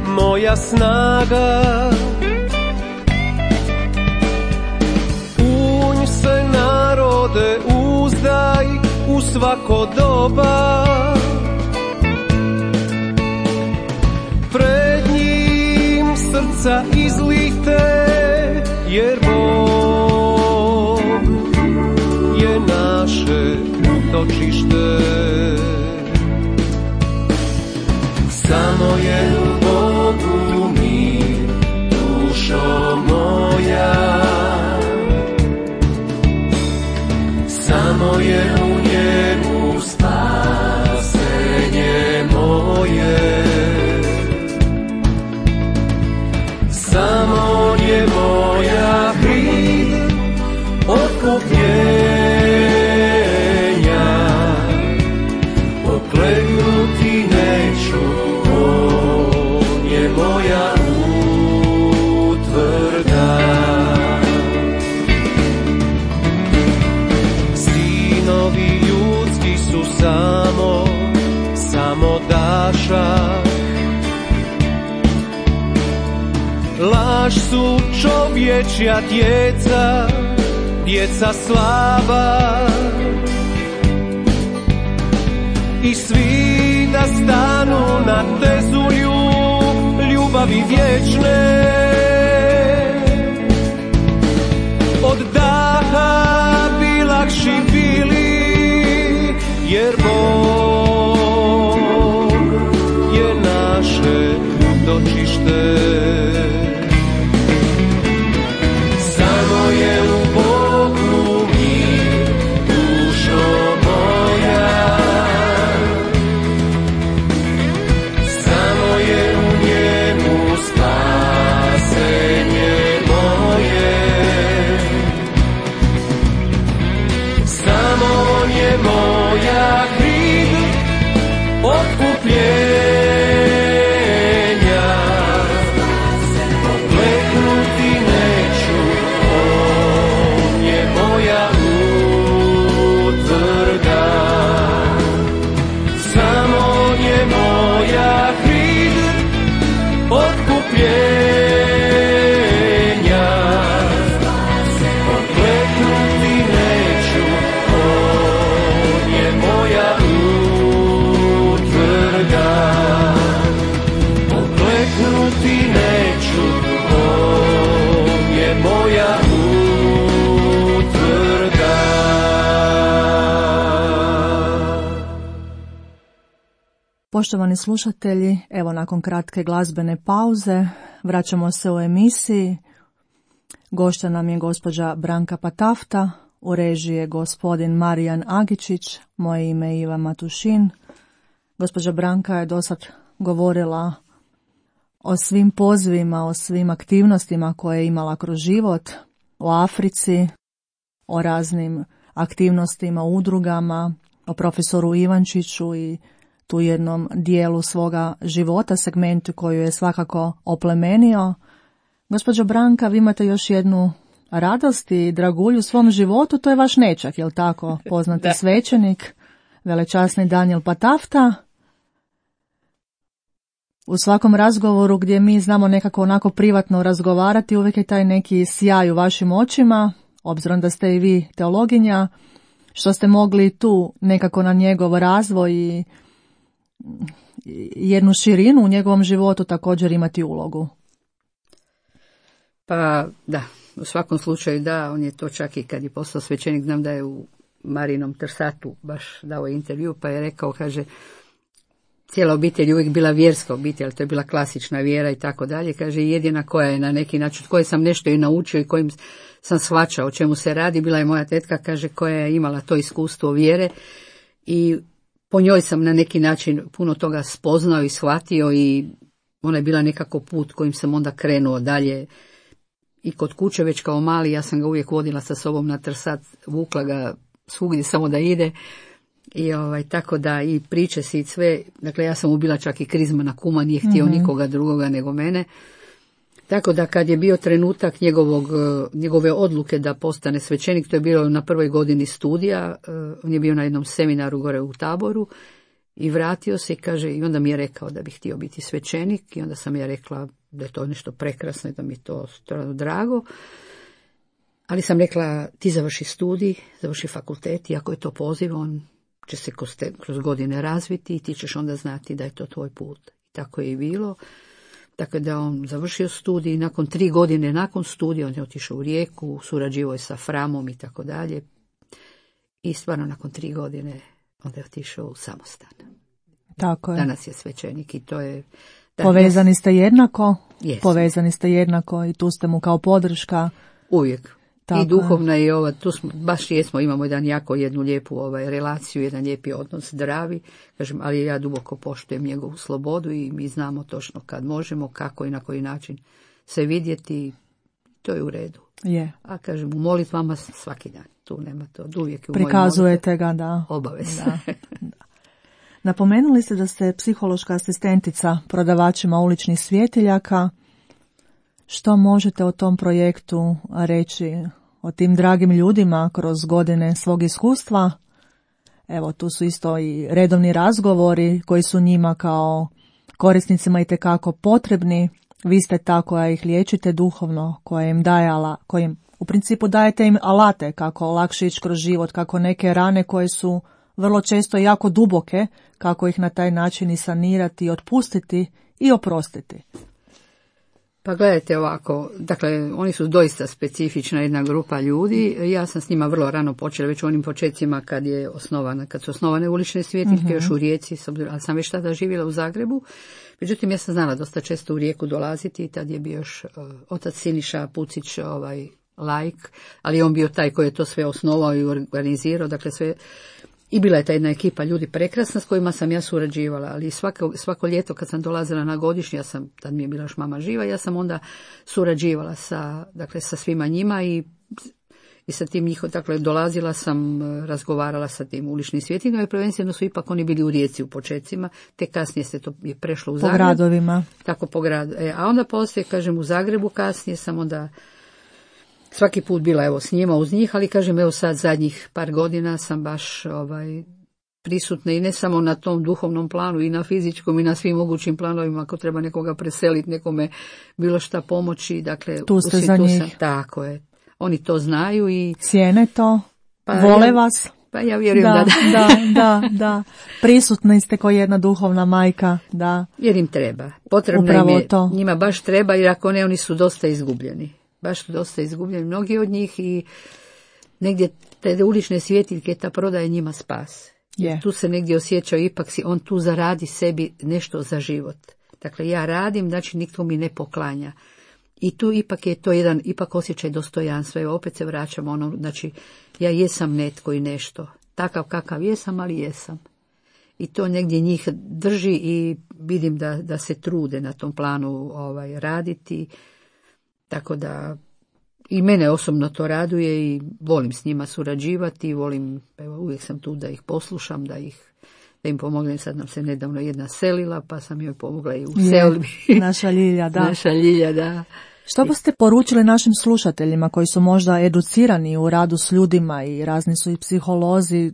moja snaga. Unj se narode uzdaj u svako doba. Pred njim srca izlite, jer Bog je naše utočište. Samo je u Bogu mir, dušo moja. Samo je u njemu spasenje moje. Samo on je moja kril otkupljenja. Pokleknuti neću, on je moja utvrda. Sinovi ljudski su samo dašak. Laž su čovječja djeca slaba. I svi da stanu na tezu ljubavi vječne. Od daha bi lakši bili, jer Bog je naše utočište. Samo je u Bogu mir, dušo moja. Samo je u njemu spasenje moje. Samo on je moja kril otkupljenja. Pokleknuti neću, on je moja utvrda. Samo on je moja kril otkupljenja. Pokleknuti neću, on je moja utvrda. Pokleknuti neću, on je moja utvrda. Poštovani slušatelji, evo nakon kratke glazbene pauze vraćamo se u emisiji. Gošća nam je gospođa Branka Patafta, u režiji je gospodin Marijan Agičić, moje ime je Iva Matušin. Gospođa Branka je dosad govorila o svim pozivima, o svim aktivnostima koje je imala kroz život, o Africi, o raznim aktivnostima, udrugama, o profesoru Ivančiću i tu jednom dijelu svoga života, segmentu koju je svakako oplemenio. Gospođo Branka, vi imate još jednu radost i dragulju u svom životu, to je vaš nećak, jel tako? Poznati svećenik, velečasni Daniel Patafta. U svakom razgovoru gdje mi znamo nekako onako privatno razgovarati, uvijek je taj neki sjaj u vašim očima, obzirom da ste i vi teologinja, što ste mogli tu nekako na njegov razvoj i jednu širinu u njegovom životu također imati ulogu. Pa da, u svakom slučaju da, on je to čak i kad je postao svećenik, znam da je u Marinom Trsatu baš dao intervju, pa je rekao, kaže, cijela obitelj je uvijek bila vjerska obitelj, ali to je bila klasična vjera i tako dalje, kaže, jedina koja je na neki način, koje sam nešto i naučio i kojim sam shvaćao o čemu se radi, bila je moja tetka, kaže, koja je imala to iskustvo vjere i po njoj sam na neki način puno toga spoznao i shvatio i ona je bila nekako put kojim sam onda krenuo dalje. I kod kuće već kao mali, ja sam ga uvijek vodila sa sobom na Trsat, vukla ga svugdje samo da ide i tako da i priče si i sve, dakle ja sam mu bila čak i krizmana kuma, nije htio nikoga drugoga nego mene. Tako da kad je bio trenutak njegove odluke da postane svećenik, to je bilo na prvoj godini studija, on je bio na jednom seminaru gore u Taboru i vratio se i kaže, i onda mi je rekao da bi htio biti svećenik i onda sam ja rekla da je to nešto prekrasno i da mi je to stvarno drago. Ali sam rekla, ti završi studij, završi fakultet i ako je to poziv, on će se kroz godine razviti i ti ćeš onda znati da je to tvoj put. I tako je i bilo. Tako da on završio studij i nakon 3 godine nakon studija on je otišao u Rijeku, surađivao je sa Framom i tako dalje. I stvarno nakon 3 godine onda je otišao u samostan. Tako je. Danas je svećenik i to je... Povezani ste jednako? Jesmo. Povezani ste jednako i tu ste mu kao podrška? Uvijek. Tako I duhovna i ova, tu smo, baš jesmo, imamo jednu lijepu relaciju, jedan lijepi odnos, zdravi, kažem, ali ja duboko poštujem njegovu slobodu i mi znamo točno kad možemo, kako i na koji način se vidjeti, to je u redu. Je. A kažem, u molitvama svaki dan, tu nema to, uvijek u prikazujete ga, da. Obavezno. Da. Napomenuli ste da ste psihološka asistentica prodavačima uličnih svjetiljaka. Što možete o tom projektu reći, o tim dragim ljudima kroz godine svog iskustva? Evo, tu su isto i redovni razgovori koji su njima kao korisnicima itekako potrebni. Vi ste ta koja ih liječite duhovno, koja im daje kojim u principu dajete im alate kako lakše ići kroz život, kako neke rane koje su vrlo često jako duboke, kako ih na taj način i sanirati, otpustiti i oprostiti. Pa gledajte ovako, dakle, oni su doista specifična jedna grupa ljudi. Ja sam s njima vrlo rano počela, već u onim početcima kad su osnovane ulične svjetiljke, još u Rijeci, ali sam već tada živjela u Zagrebu. Međutim, ja sam znala dosta često u Rijeku dolaziti i tad je bio još otac Siniša Pucić, laik, ali on bio taj koji je to sve osnovao i organizirao, dakle sve. I bila je ta jedna ekipa ljudi prekrasna s kojima sam ja surađivala, ali svako ljeto kad sam dolazila na godišnji, tad mi je bila još mama živa, ja sam onda surađivala sa svima njima i sa tim dakle dolazila sam, razgovarala sa tim uličnim svjetiljkama i prvenstveno su ipak oni bili u Rijeci u početcima, te kasnije se to je prešlo u Zagreb. Po gradovima. Tako po gradu. A onda poslije, kažem, u Zagrebu kasnije sam onda svaki put bila s njima, uz njih, ali kažem, sad zadnjih par godina sam baš prisutna i ne samo na tom duhovnom planu i na fizičkom i na svim mogućim planovima, ako treba nekoga preseliti, nekome bilo šta pomoći, dakle, tu ste za njih. Tako je. Oni to znaju i cijene to, vole vas. Pa ja vjerujem da. Prisutni ste kao jedna duhovna majka, da. Jer im treba. Potrebno im je, njima baš treba, jer ako ne, oni su dosta izgubljeni. Baš su dosta izgubljeni, mnogi od njih i negdje te ulične svjetiljke, ta prodaje njima spas. Tu se negdje osjećao, ipak on tu zaradi sebi nešto za život. Dakle, ja radim, znači nitko mi ne poklanja. I tu ipak je to jedan osjećaj dostojanstva. Evo, opet se vraćamo znači, ja jesam netko i nešto. Takav kakav jesam, ali jesam. I to negdje njih drži i vidim da se trude na tom planu raditi. Tako da i mene osobno to raduje i volim s njima surađivati. Uvijek sam tu da ih poslušam, da im pomognem. Sad nam se nedavno jedna selila, pa sam joj pomogla i u selbi. Naša Ljilja, da. Naša Ljilja, da. Što biste poručili našim slušateljima koji su možda educirani u radu s ljudima i razni su i psiholozi?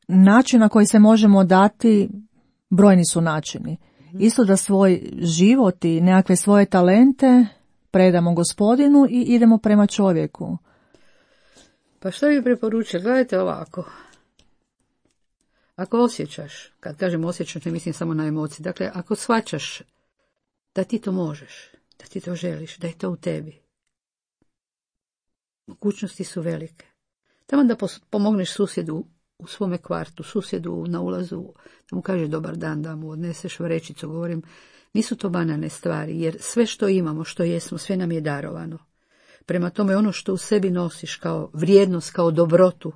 Način na koji se možemo dati, brojni su načini. Isto da svoj život i nekakve svoje talente predamo Gospodinu i idemo prema čovjeku. Pa što bi preporučili? Gledajte ovako. Ako osjećaš, kad kažem osjećaš, ne mislim samo na emocije, dakle, ako shvaćaš da ti to možeš, da ti to želiš, da je to u tebi, mogućnosti su velike. Tamo da pomogneš susjedu u svome kvartu, susjedu na ulazu, da mu kažeš dobar dan, da mu odneseš vrećicu, govorim, nisu to banalne stvari, jer sve što imamo, što jesmo, sve nam je darovano. Prema tome, ono što u sebi nosiš kao vrijednost, kao dobrotu,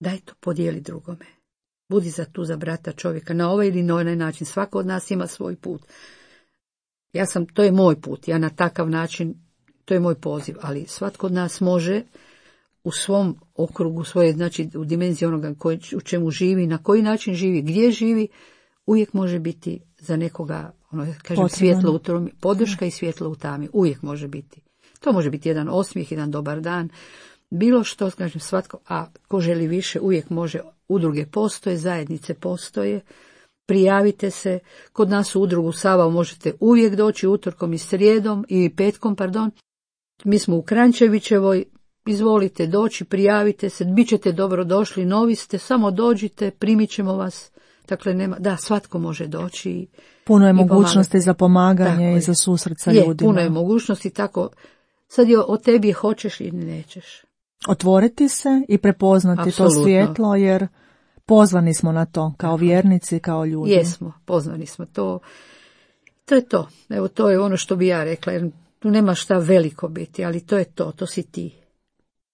daj to podijeli drugome. Budi za brata čovjeka, na ovaj ili na onaj način. Svako od nas ima svoj put. To je moj put, ja na takav način, to je moj poziv, ali svatko od nas može u svom okrugu svoje, znači u dimenziji onoga u čemu živi, na koji način živi, gdje živi, uvijek može biti za nekoga, svjetlo u tami, podrška i svjetlo u tami, uvijek može biti. To može biti jedan osmijeh, jedan dobar dan, bilo što, kažem, svatko, a ko želi više, uvijek može, udruge postoje, zajednice postoje, prijavite se, kod nas u udrugu Savao možete uvijek doći utorkom i srijedom, i petkom, mi smo u Kranjčevićevoj, izvolite doći, prijavite se, bit ćete dobrodošli, novi ste, samo dođite, primit ćemo vas. Dakle, svatko može doći. Puno je mogućnosti za pomaganje i za susret sa ljudima. Puno je mogućnosti, tako, sad je o tebi hoćeš ili nećeš. Otvoriti se i prepoznati Apsolutno. To svjetlo, jer pozvani smo na to, kao vjernici, kao ljudi. Jesmo, pozvani smo, to je to. Evo, to je ono što bi ja rekla, jer tu nema šta veliko biti, ali to je to si ti.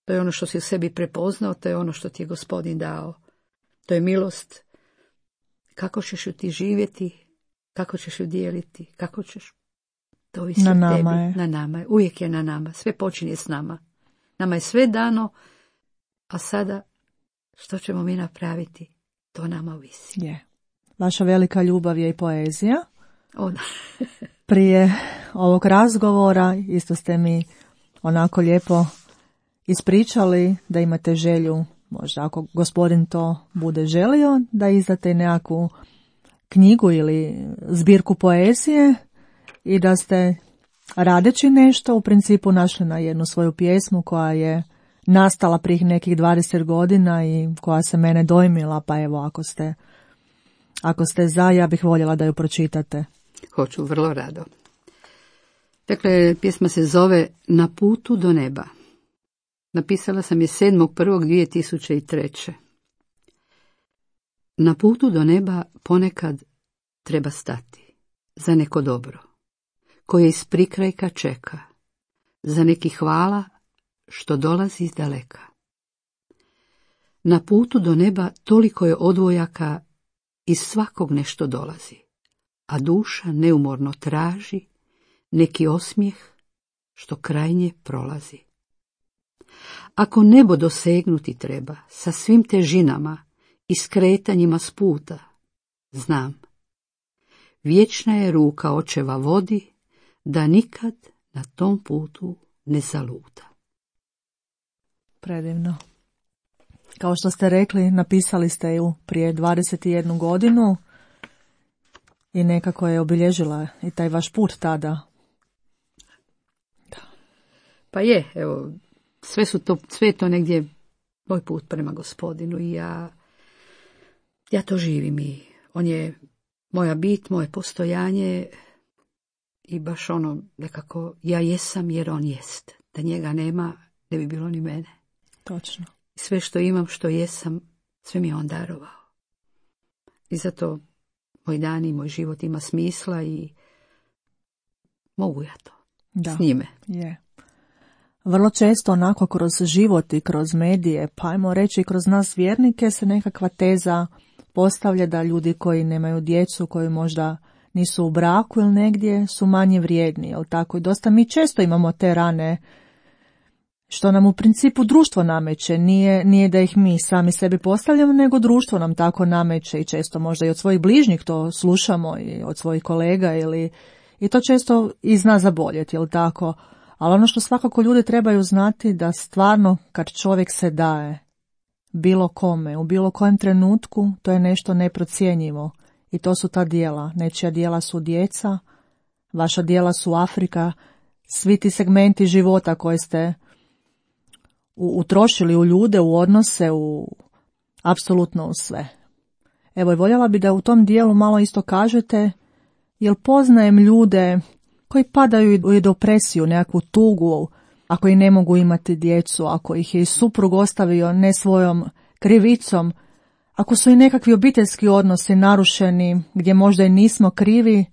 To je ono što si u sebi prepoznao, to je ono što ti je Gospodin dao. To je milost. Kako ćeš ju ti živjeti, kako ćeš ju dijeliti, kako ćeš, to ovisi na od nama tebi. Je. Na nama je, uvijek je na nama, sve počinje s nama. Nama je sve dano, a sada što ćemo mi napraviti, to nama ovisi. Je. Vaša velika ljubav je i poezija. Da. Prije ovog razgovora isto ste mi onako lijepo ispričali da imate želju, možda ako Gospodin to bude želio, da izdate nekakvu knjigu ili zbirku poezije i da ste radeći nešto u principu našli na jednu svoju pjesmu koja je nastala prije nekih 20 godina i koja se mene dojmila, pa evo ako ste za, ja bih voljela da ju pročitate. Hoću, vrlo rado. Dakle, pjesma se zove Na putu do neba. Napisala sam je 7.1.2003. Na putu do neba ponekad treba stati za neko dobro, koje iz prikrajka čeka, za neki hvala što dolazi iz daleka. Na putu do neba toliko je odvojaka, iz svakog nešto dolazi, a duša neumorno traži neki osmijeh što krajnje prolazi. Ako nebo dosegnuti treba sa svim težinama i skretanjima s puta, znam, vječna je ruka očeva vodi da nikad na tom putu ne zaluta. Predivno. Kao što ste rekli, napisali ste ju prije 21 godinu i nekako je obilježila i taj vaš put tada. Da. Pa je, evo, sve je to negdje moj put prema Gospodinu i ja to živim i on je moja bit, moje postojanje i baš ono nekako ja jesam jer on jest. Da njega nema, ne bi bilo ni mene. Točno. Sve što imam, što jesam, sve mi je on darovao. I zato moj dan i moj život ima smisla i mogu ja to Da. s njime. Je. Vrlo često onako kroz život i kroz medije, pa ajmo reći kroz nas vjernike, se nekakva teza postavlja da ljudi koji nemaju djecu, koji možda nisu u braku ili negdje, su manje vrijedni, jel tako? I dosta mi često imamo te rane, što nam u principu društvo nameće, nije da ih mi sami sebi postavljamo, nego društvo nam tako nameće i često možda i od svojih bližnjih to slušamo i od svojih kolega i to često i zna zaboljeti, jel tako? Ali ono što svakako ljudi trebaju znati da stvarno kad čovjek se daje bilo kome, u bilo kojem trenutku, to je nešto neprocjenjivo i to su ta djela. Nečija djela su djeca, vaša djela su Afrika, svi ti segmenti života koje ste utrošili u ljude, u odnose, apsolutno u sve. Evo, i voljela bi da u tom dijelu malo isto kažete, jer poznajem ljude koji padaju u depresiju, nekakvu tugu, ako i ne mogu imati djecu, ako ih je i suprug ostavio ne svojom krivicom, ako su i nekakvi obiteljski odnosi narušeni, gdje možda i nismo krivi,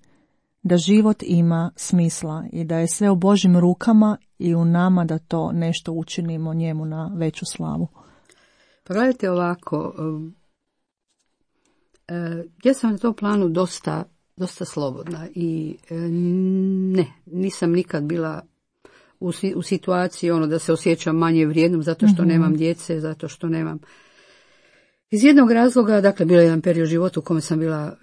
da život ima smisla i da je sve u Božjim rukama i u nama da to nešto učinimo njemu na veću slavu. Pa gledajte ovako, ja sam na tom planu dosta slobodna i nisam nikad bila u situaciji da se osjećam manje vrijednom zato što nemam djece, zato što nemam. Iz jednog razloga, dakle, bio je jedan period života u kome sam bila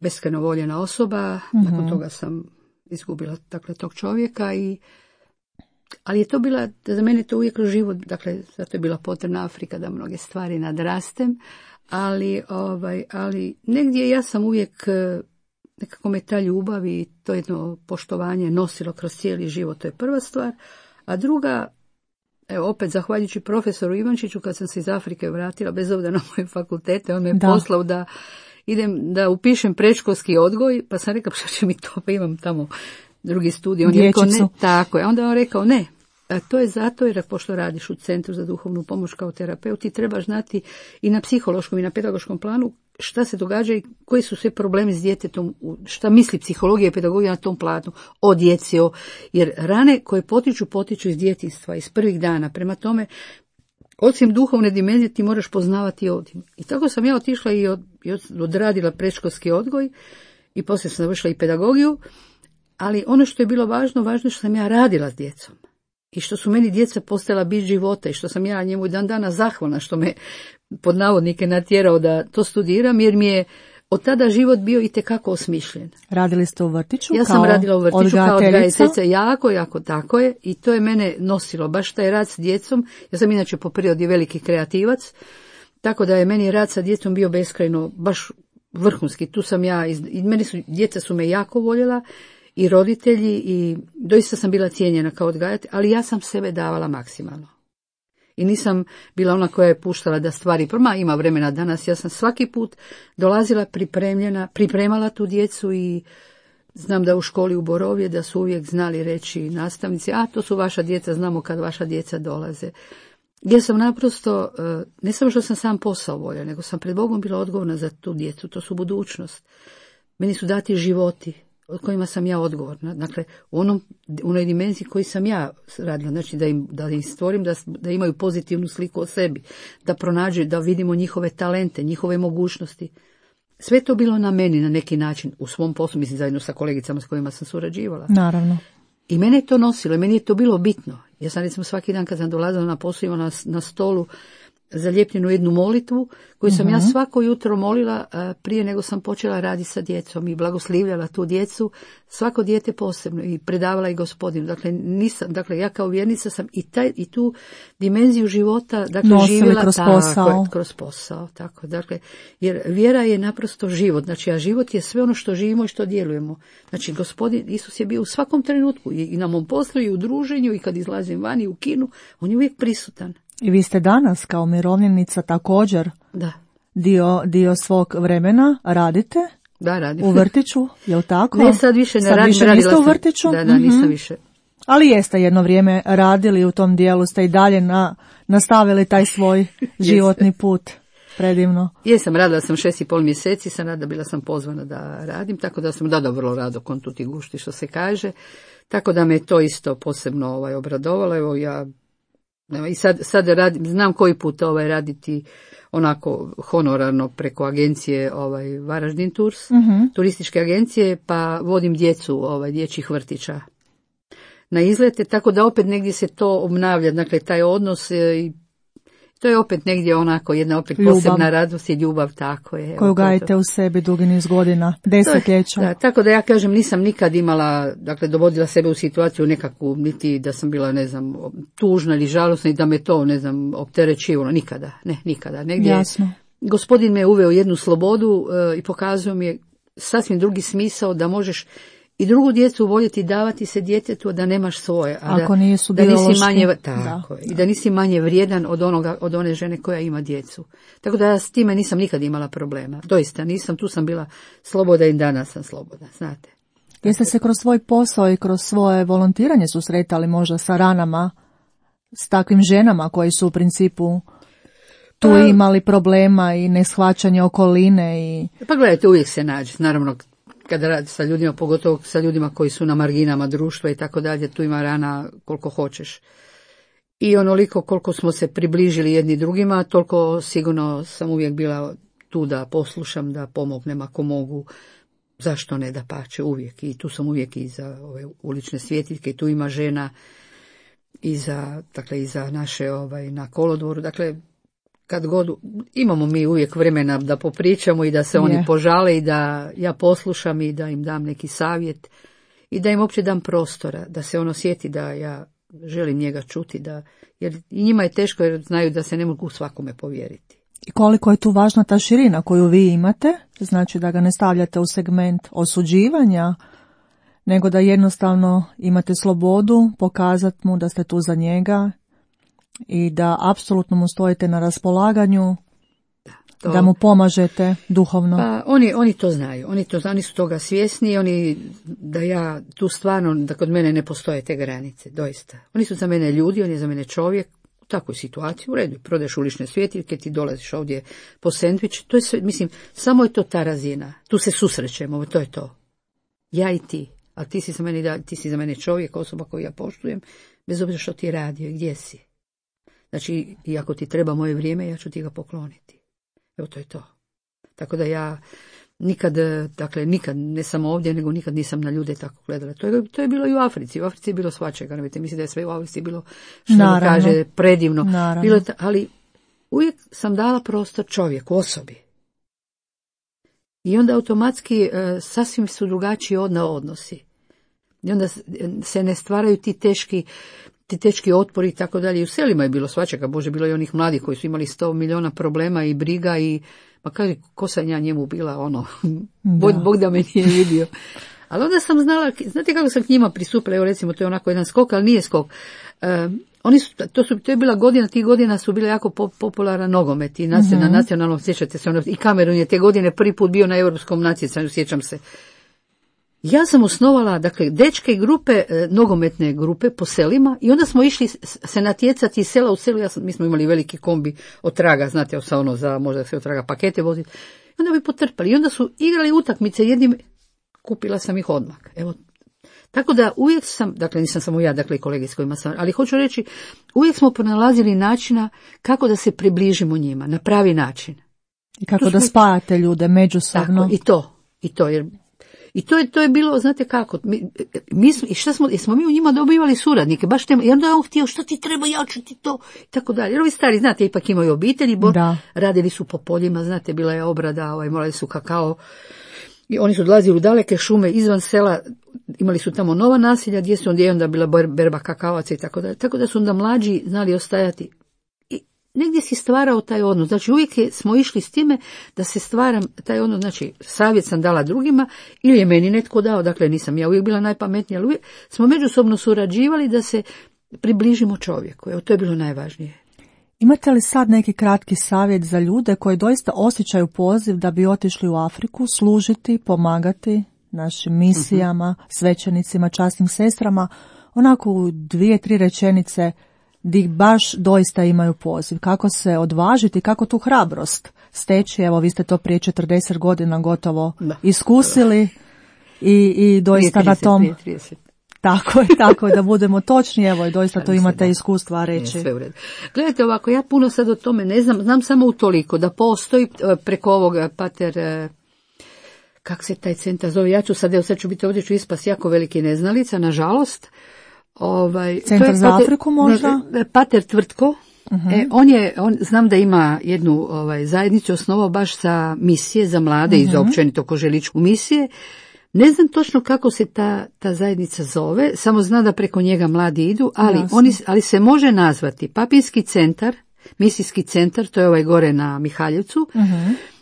beskrajno voljena osoba, nakon toga sam izgubila, dakle, tog čovjeka ali je to bila, za mene to uvijek kroz život, dakle, zato je bila potrebna Afrika da mnoge stvari nadrastem, ali negdje ja sam uvijek, nekako me ta ljubav i to jedno poštovanje nosilo kroz cijeli život, to je prva stvar, a druga, evo opet zahvaljujući profesoru Ivančiću, kad sam se iz Afrike vratila, bez obzira na moje fakultete, on me poslao da idem da upišem predškolski odgoj, pa sam rekao, šta će mi to, pa imam tamo drugi studij. On je rekao, ne, tako je. Onda on rekao, ne, to je zato jer pošto radiš u Centru za duhovnu pomoć kao terapeut, ti trebaš znati i na psihološkom i na pedagoškom planu šta se događa i koji su sve problemi s djetetom, šta misli psihologija i pedagogija na tom planu o djeci, jer rane koje potiču iz djetinjstva, iz prvih dana, prema tome, osim duhovne dimenzije ti moraš poznavati ovdje. I tako sam ja otišla i odradila predškolski odgoj i poslije sam završila i pedagogiju, ali ono što je bilo važno je što sam ja radila s djecom. I što su meni djeca postala bit života i što sam ja njemu dan dana zahvalna što me pod navodnike natjerao da to studiram, jer mi je od tada život bio itekako osmišljen. Radili ste u vrtiću? Ja sam radila u vrtiću kao odgajateljica, jako, tako je, i to je mene nosilo, baš taj rad s djecom. Ja sam inače po prirodi veliki kreativac, tako da je meni rad sa djecom bio beskrajno, baš vrhunski. Tu sam ja, djeca su me jako voljela, i roditelji, i doista sam bila cijenjena kao odgajatelj, ali ja sam sebe davala maksimalno. I nisam bila ona koja je puštala da stvari, ima vremena danas, ja sam svaki put dolazila pripremala tu djecu i znam da u školi u Borovje da su uvijek znali reći nastavnici, to su vaša djeca, znamo kad vaša djeca dolaze. Ja sam naprosto, ne samo što sam sam posao volja, nego sam pred Bogom bila odgovorna za tu djecu, to su budućnost. Meni su dati životi od kojima sam ja odgovorna, dakle u onoj dimenziji koji sam ja radila, znači da im stvorim, da imaju pozitivnu sliku o sebi, da pronađu, da vidimo njihove talente, njihove mogućnosti. Sve to bilo na meni na neki način, u svom poslu, mislim zajedno sa kolegicama s kojima sam surađivala. Naravno. I mene je to nosilo, i meni je to bilo bitno. Ja sam recimo svaki dan kad sam dolazila na posao imala na stolu zalijepljenu jednu molitvu koju sam ja svako jutro molila prije nego sam počela raditi sa djecom i blagoslivljala tu djecu, svako dijete posebno, i predavala i Gospodinu. Dakle, ja kao vjernica sam i tu dimenziju života živjela kroz posao. Tako, dakle, jer vjera je naprosto život, znači, a život je sve ono što živimo i što djelujemo. Znači, Gospodin Isus je bio u svakom trenutku, i na mom poslu, i u druženju, i kad izlazim van, i u kinu, on je uvijek prisutan. I vi ste danas kao umirovljenica također dio svog vremena radite? Da, radim. U vrtiću, je li tako? Ne, sad više ne radim. Sad više niste u vrtiću? Da, nisam više. Ali jeste jedno vrijeme radili u tom dijelu, ste i dalje nastavili taj svoj životni put. predivno. Jesam, radila sam 6,5 mjeseci, bila sam pozvana da radim, tako da sam vrlo rado kon tuti gušti, što se kaže, tako da me to isto posebno obradovalo. Evo ja i sad radim, znam koji put raditi onako honorarno preko agencije Varaždin Tours, turističke agencije, pa vodim djecu dječjih vrtića na izlete, tako da opet negdje se to obnavlja, dakle taj odnos i to je opet negdje onako jedna opet posebna radost i ljubav, tako je. Koju gajite u sebi dugi niz godina, desetljeća. Da, tako da ja kažem, nisam nikad imala, dakle dovodila sebe u situaciju nekakvu, niti da sam bila, ne znam, tužna ili žalosna i da me to, ne znam, opterećivalo, nikada. Negdje Jasno. Gospodin me uveo jednu slobodu i pokazuje mi je sasvim drugi smisao da možeš i drugu djecu voljeti davati se djetetu, da nemaš svoje. Ako nisu da nisi manje, tako je, i da nisi manje vrijedan od one žene koja ima djecu. Tako da ja s time nisam nikad imala problema. Doista nisam, tu sam bila slobodna i danas sam slobodna, znate. Jeste se kroz svoj posao i kroz svoje volontiranje susretali možda sa ranama, s takvim ženama koji su u principu tu imali problema i neshvaćanje okoline? Pa gledajte, uvijek se nađe, naravno, kada radi sa ljudima, pogotovo sa ljudima koji su na marginama društva i tako dalje, tu ima rana koliko hoćeš. I onoliko koliko smo se približili jedni drugima, toliko sigurno sam uvijek bila tu da poslušam, da pomognem ako mogu. Zašto ne, da pače, uvijek. I tu sam uvijek i za ove ulične svjetiljke, tu ima žena i za naše na kolodvoru. Dakle, kad god imamo mi uvijek vremena da popričamo i da se oni požale i da ja poslušam i da im dam neki savjet i da im uopće dam prostora, da se ono sjeti da ja želim njega čuti, jer i njima je teško jer znaju da se ne mogu svakome povjeriti. I koliko je tu važna ta širina koju vi imate, znači da ga ne stavljate u segment osuđivanja, nego da jednostavno imate slobodu pokazati mu da ste tu za njega i da apsolutno mu stojite na raspolaganju, da mu pomažete duhovno. Pa oni to znaju, oni su toga svjesni, da ja tu stvarno, da kod mene ne postoje te granice, doista. Oni su za mene ljudi, on je za mene čovjek, u takvoj situaciji, u redu, prodaješ ulične svjetiljke, ti dolaziš ovdje po sendvič, to je sve, mislim, samo je to ta razina, tu se susrećemo, to je to. Ja i ti, a ti si za mene čovjek, osoba koju ja poštujem, bez obzira što ti je radio i gdje si. Znači, i ako ti treba moje vrijeme, ja ću ti ga pokloniti. Evo, to je to. Tako da ja nikad, ne samo ovdje, nego nikad nisam na ljude tako gledala. To je bilo i u Africi. U Africi je bilo svačega. Mislim da je sve u Africi bilo, što mi kaže, predivno. Bilo, ali uvijek sam dala prostor čovjeku, osobi. I onda automatski sasvim su drugačiji odnosi. I onda se ne stvaraju ti teški otpori i tako dalje. I u selima je bilo svačega, Bože, bilo i onih mladih koji su imali 100 milijuna problema i briga i, pa kaže, ko sam ja njemu bila, Bog da me nije vidio. Ali onda sam znala, znate kako sam k njima pristupila, evo recimo, to je onako jedan skok, ali nije skok. To je bila godina, tih godina su bile jako popularan nogomet i na nacionalnom, sjećate se, i Kamerun je te godine prvi put bio na europskom natjecanju, sjećam se. Ja sam osnovala, dečke grupe, nogometne grupe po selima i onda smo išli se natjecati iz sela u selu. Mi smo imali veliki kombi od traga, znate, za možda se od traga pakete voziti. I onda bi potrpali. I onda su igrali utakmice jednim, kupila sam ih odmah. Evo. Tako da uvijek sam, nisam samo ja, i kolege s kojima sam, ali hoću reći, uvijek smo pronalazili načina kako da se približimo njima, na pravi način. I kako da spajate ljude međusobno. Tako, i to, jer i to je bilo, znate kako, jesmo mi u njima dobivali suradnike, baš te, i onda je on htio, što ti treba, ja ću ti to, i tako dalje. Jer ovi stari, znate, ipak imaju obitelji, radili su po poljima, znate, bila je obrada, morali su kakao, i oni su dolazili u daleke šume, izvan sela, imali su tamo nova naselja, gdje su onda bila berba kakavaca i tako dalje. Tako da su onda mlađi znali ostajati. Negdje si stvarao taj odnos, znači uvijek smo išli s time da se stvaram taj odnos, znači savjet sam dala drugima ili je meni netko dao, nisam ja uvijek bila najpametnija, ali uvijek smo međusobno surađivali da se približimo čovjeku, evo to je bilo najvažnije. Imate li sad neki kratki savjet za ljude koji doista osjećaju poziv da bi otišli u Afriku, služiti, pomagati našim misijama, svećenicima, časnim sestrama, onako u 2-3 rečenice, di baš doista imaju poziv. Kako se odvažiti, kako tu hrabrost steći, evo vi ste to prije 40 godina gotovo iskusili i doista 30, na tom... 30. Tako je, da budemo točni, evo i doista to imate iskustva reći. Sve u redu. Gledajte ovako, ja puno sad o tome ne znam, znam samo utoliko da postoji preko ovoga pater, kak se taj centar zove, ja ću sad ću biti ovdje, ću ispast jako veliki neznalica, nažalost. Centar za Afriku možda? Pater Tvrtko. On znam da ima jednu zajednicu osnovao baš za misije, za mlade i za općenito koželičku misije. Ne znam točno kako se ta zajednica zove, samo zna da preko njega mladi idu, ali se može nazvati Papinski centar, misijski centar, to je gore na Mihaljevcu.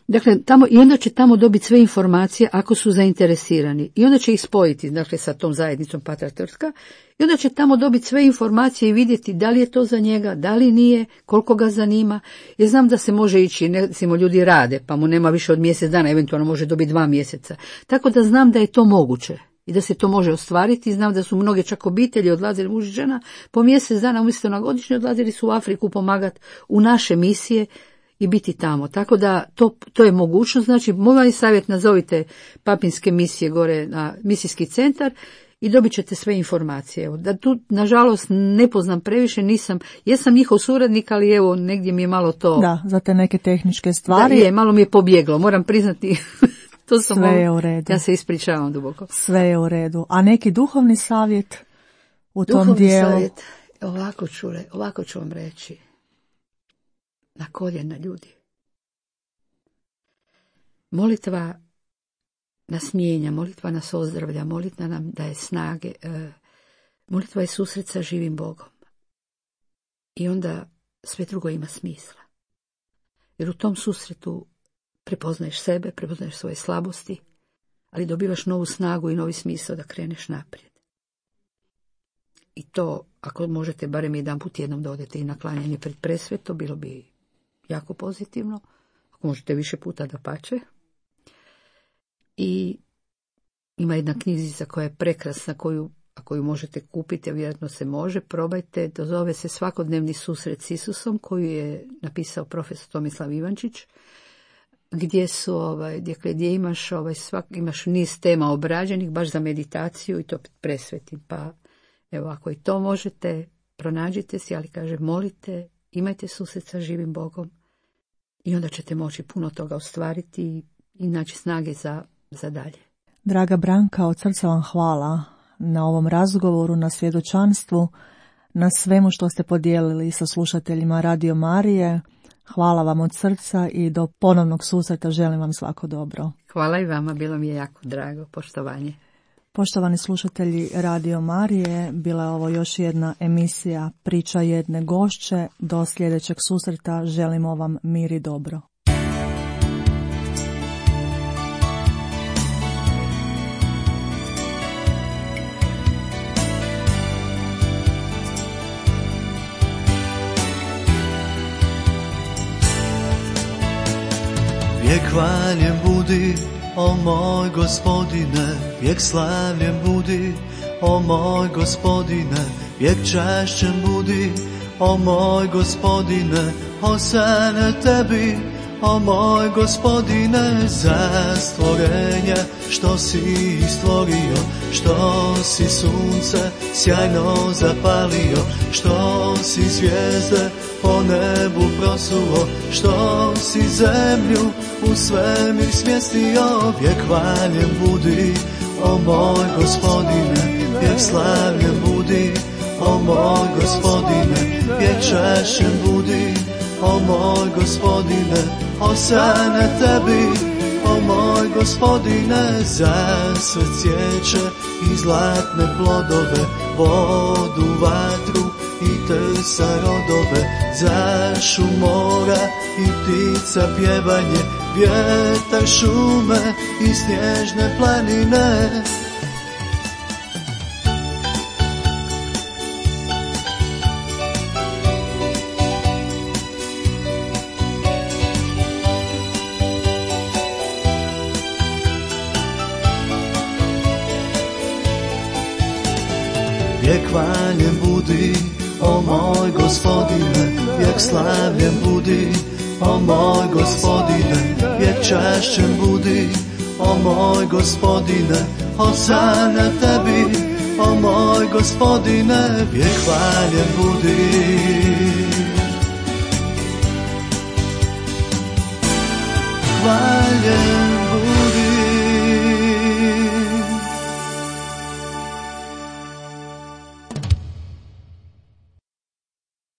Dakle, i onda će tamo dobiti sve informacije ako su zainteresirani. I onda će ih spojiti, dakle, sa tom zajednicom Patra Trska. I onda će tamo dobiti sve informacije i vidjeti da li je to za njega, da li nije, koliko ga zanima. Jer znam da se može ići, recimo ljudi rade, pa mu nema više od mjesec dana, eventualno može dobiti 2 mjeseca. Tako da znam da je to moguće i da se to može ostvariti. Znam da su mnoge čak obitelji odlazili, muž i žena, po mjesec dana umjesto na godišnje odlazili su u Afriku pomagati u naše misije i biti tamo. Tako da to je mogućnost. Znači, moj savjet, nazovite Papinske misije gore na misijski centar i dobit ćete sve informacije. Evo, da tu, nažalost, ne poznam previše, jesam njihov suradnik, ali evo, negdje mi je malo to... Da, za te neke tehničke stvari. Malo mi je pobjeglo, moram priznati. Sve je u redu. Ja se ispričavam duboko. Sve je u redu. A neki duhovni savjet u tom dijelu? Duhovni savjet, ovako ću vam reći. Na koljena, ljudi. Molitva nas mijenja, molitva nas ozdravlja, molitva nam daje snage, molitva je susret sa živim Bogom. I onda sve drugo ima smisla. Jer u tom susretu prepoznaješ sebe, prepoznaješ svoje slabosti, ali dobivaš novu snagu i novi smisao da kreneš naprijed. I to, ako možete, barem jedanput tjednom da odete i na klanjanje pred presveto, bilo bi jako pozitivno. Ako možete više puta, dapače. I ima jedna knjižica koja je prekrasna, ako ju možete kupiti, a vjerojatno se može, probajte. Zove se Svakodnevni susret s Isusom, koju je napisao profesor Tomislav Ivančić, gdje su gdje imaš niz tema obrađenih baš za meditaciju i to presvetim. Pa evo, ako i to možete, pronađite si, ali kaže, molite, imajte susret sa živim Bogom i onda ćete moći puno toga ostvariti i naći snage za dalje. Draga Branka, od srca vam hvala na ovom razgovoru, na svjedočanstvu, na svemu što ste podijelili sa slušateljima Radio Marije. Hvala vam od srca i do ponovnog susreta želim vam svako dobro. Hvala i vama, bilo mi je jako drago, poštovanje. Poštovani slušatelji Radio Marije, bila je ovo još jedna emisija Priča jedne gošće. Do sljedećeg susreta želimo vam mir i dobro. Vijek hvaljen budi, o moj Gospodine, vijek slavljen budi, o moj Gospodine, vijek čašćen budi, o moj Gospodine, hosane tebi, o moj Gospodine, za stvorenje što si stvorio, što si sunce sjajno zapalio, što si zvijezde po nebu prosuo, što si zemlju u svemir smjestio. Vijek hvaljen budi, o moj Gospodine, vijek slavljen budi, o moj Gospodine, vijek čašćen budi, o moj Gospodine, hosane tebi, o moj Gospodine, za sve cvijeće i zlatne plodove, vodu, vatru i trsa rodove, za šum mora i ptica pjevanje, vjetar šume i snježne planine. Vijek hvaljen budi, o moj Gospodine, vijek slavljen budi, o moj Gospodine, vijek čašćen budi, o moj Gospodine, hosana tebi, o moj Gospodine, vijek hvaljen budi. Hvaljen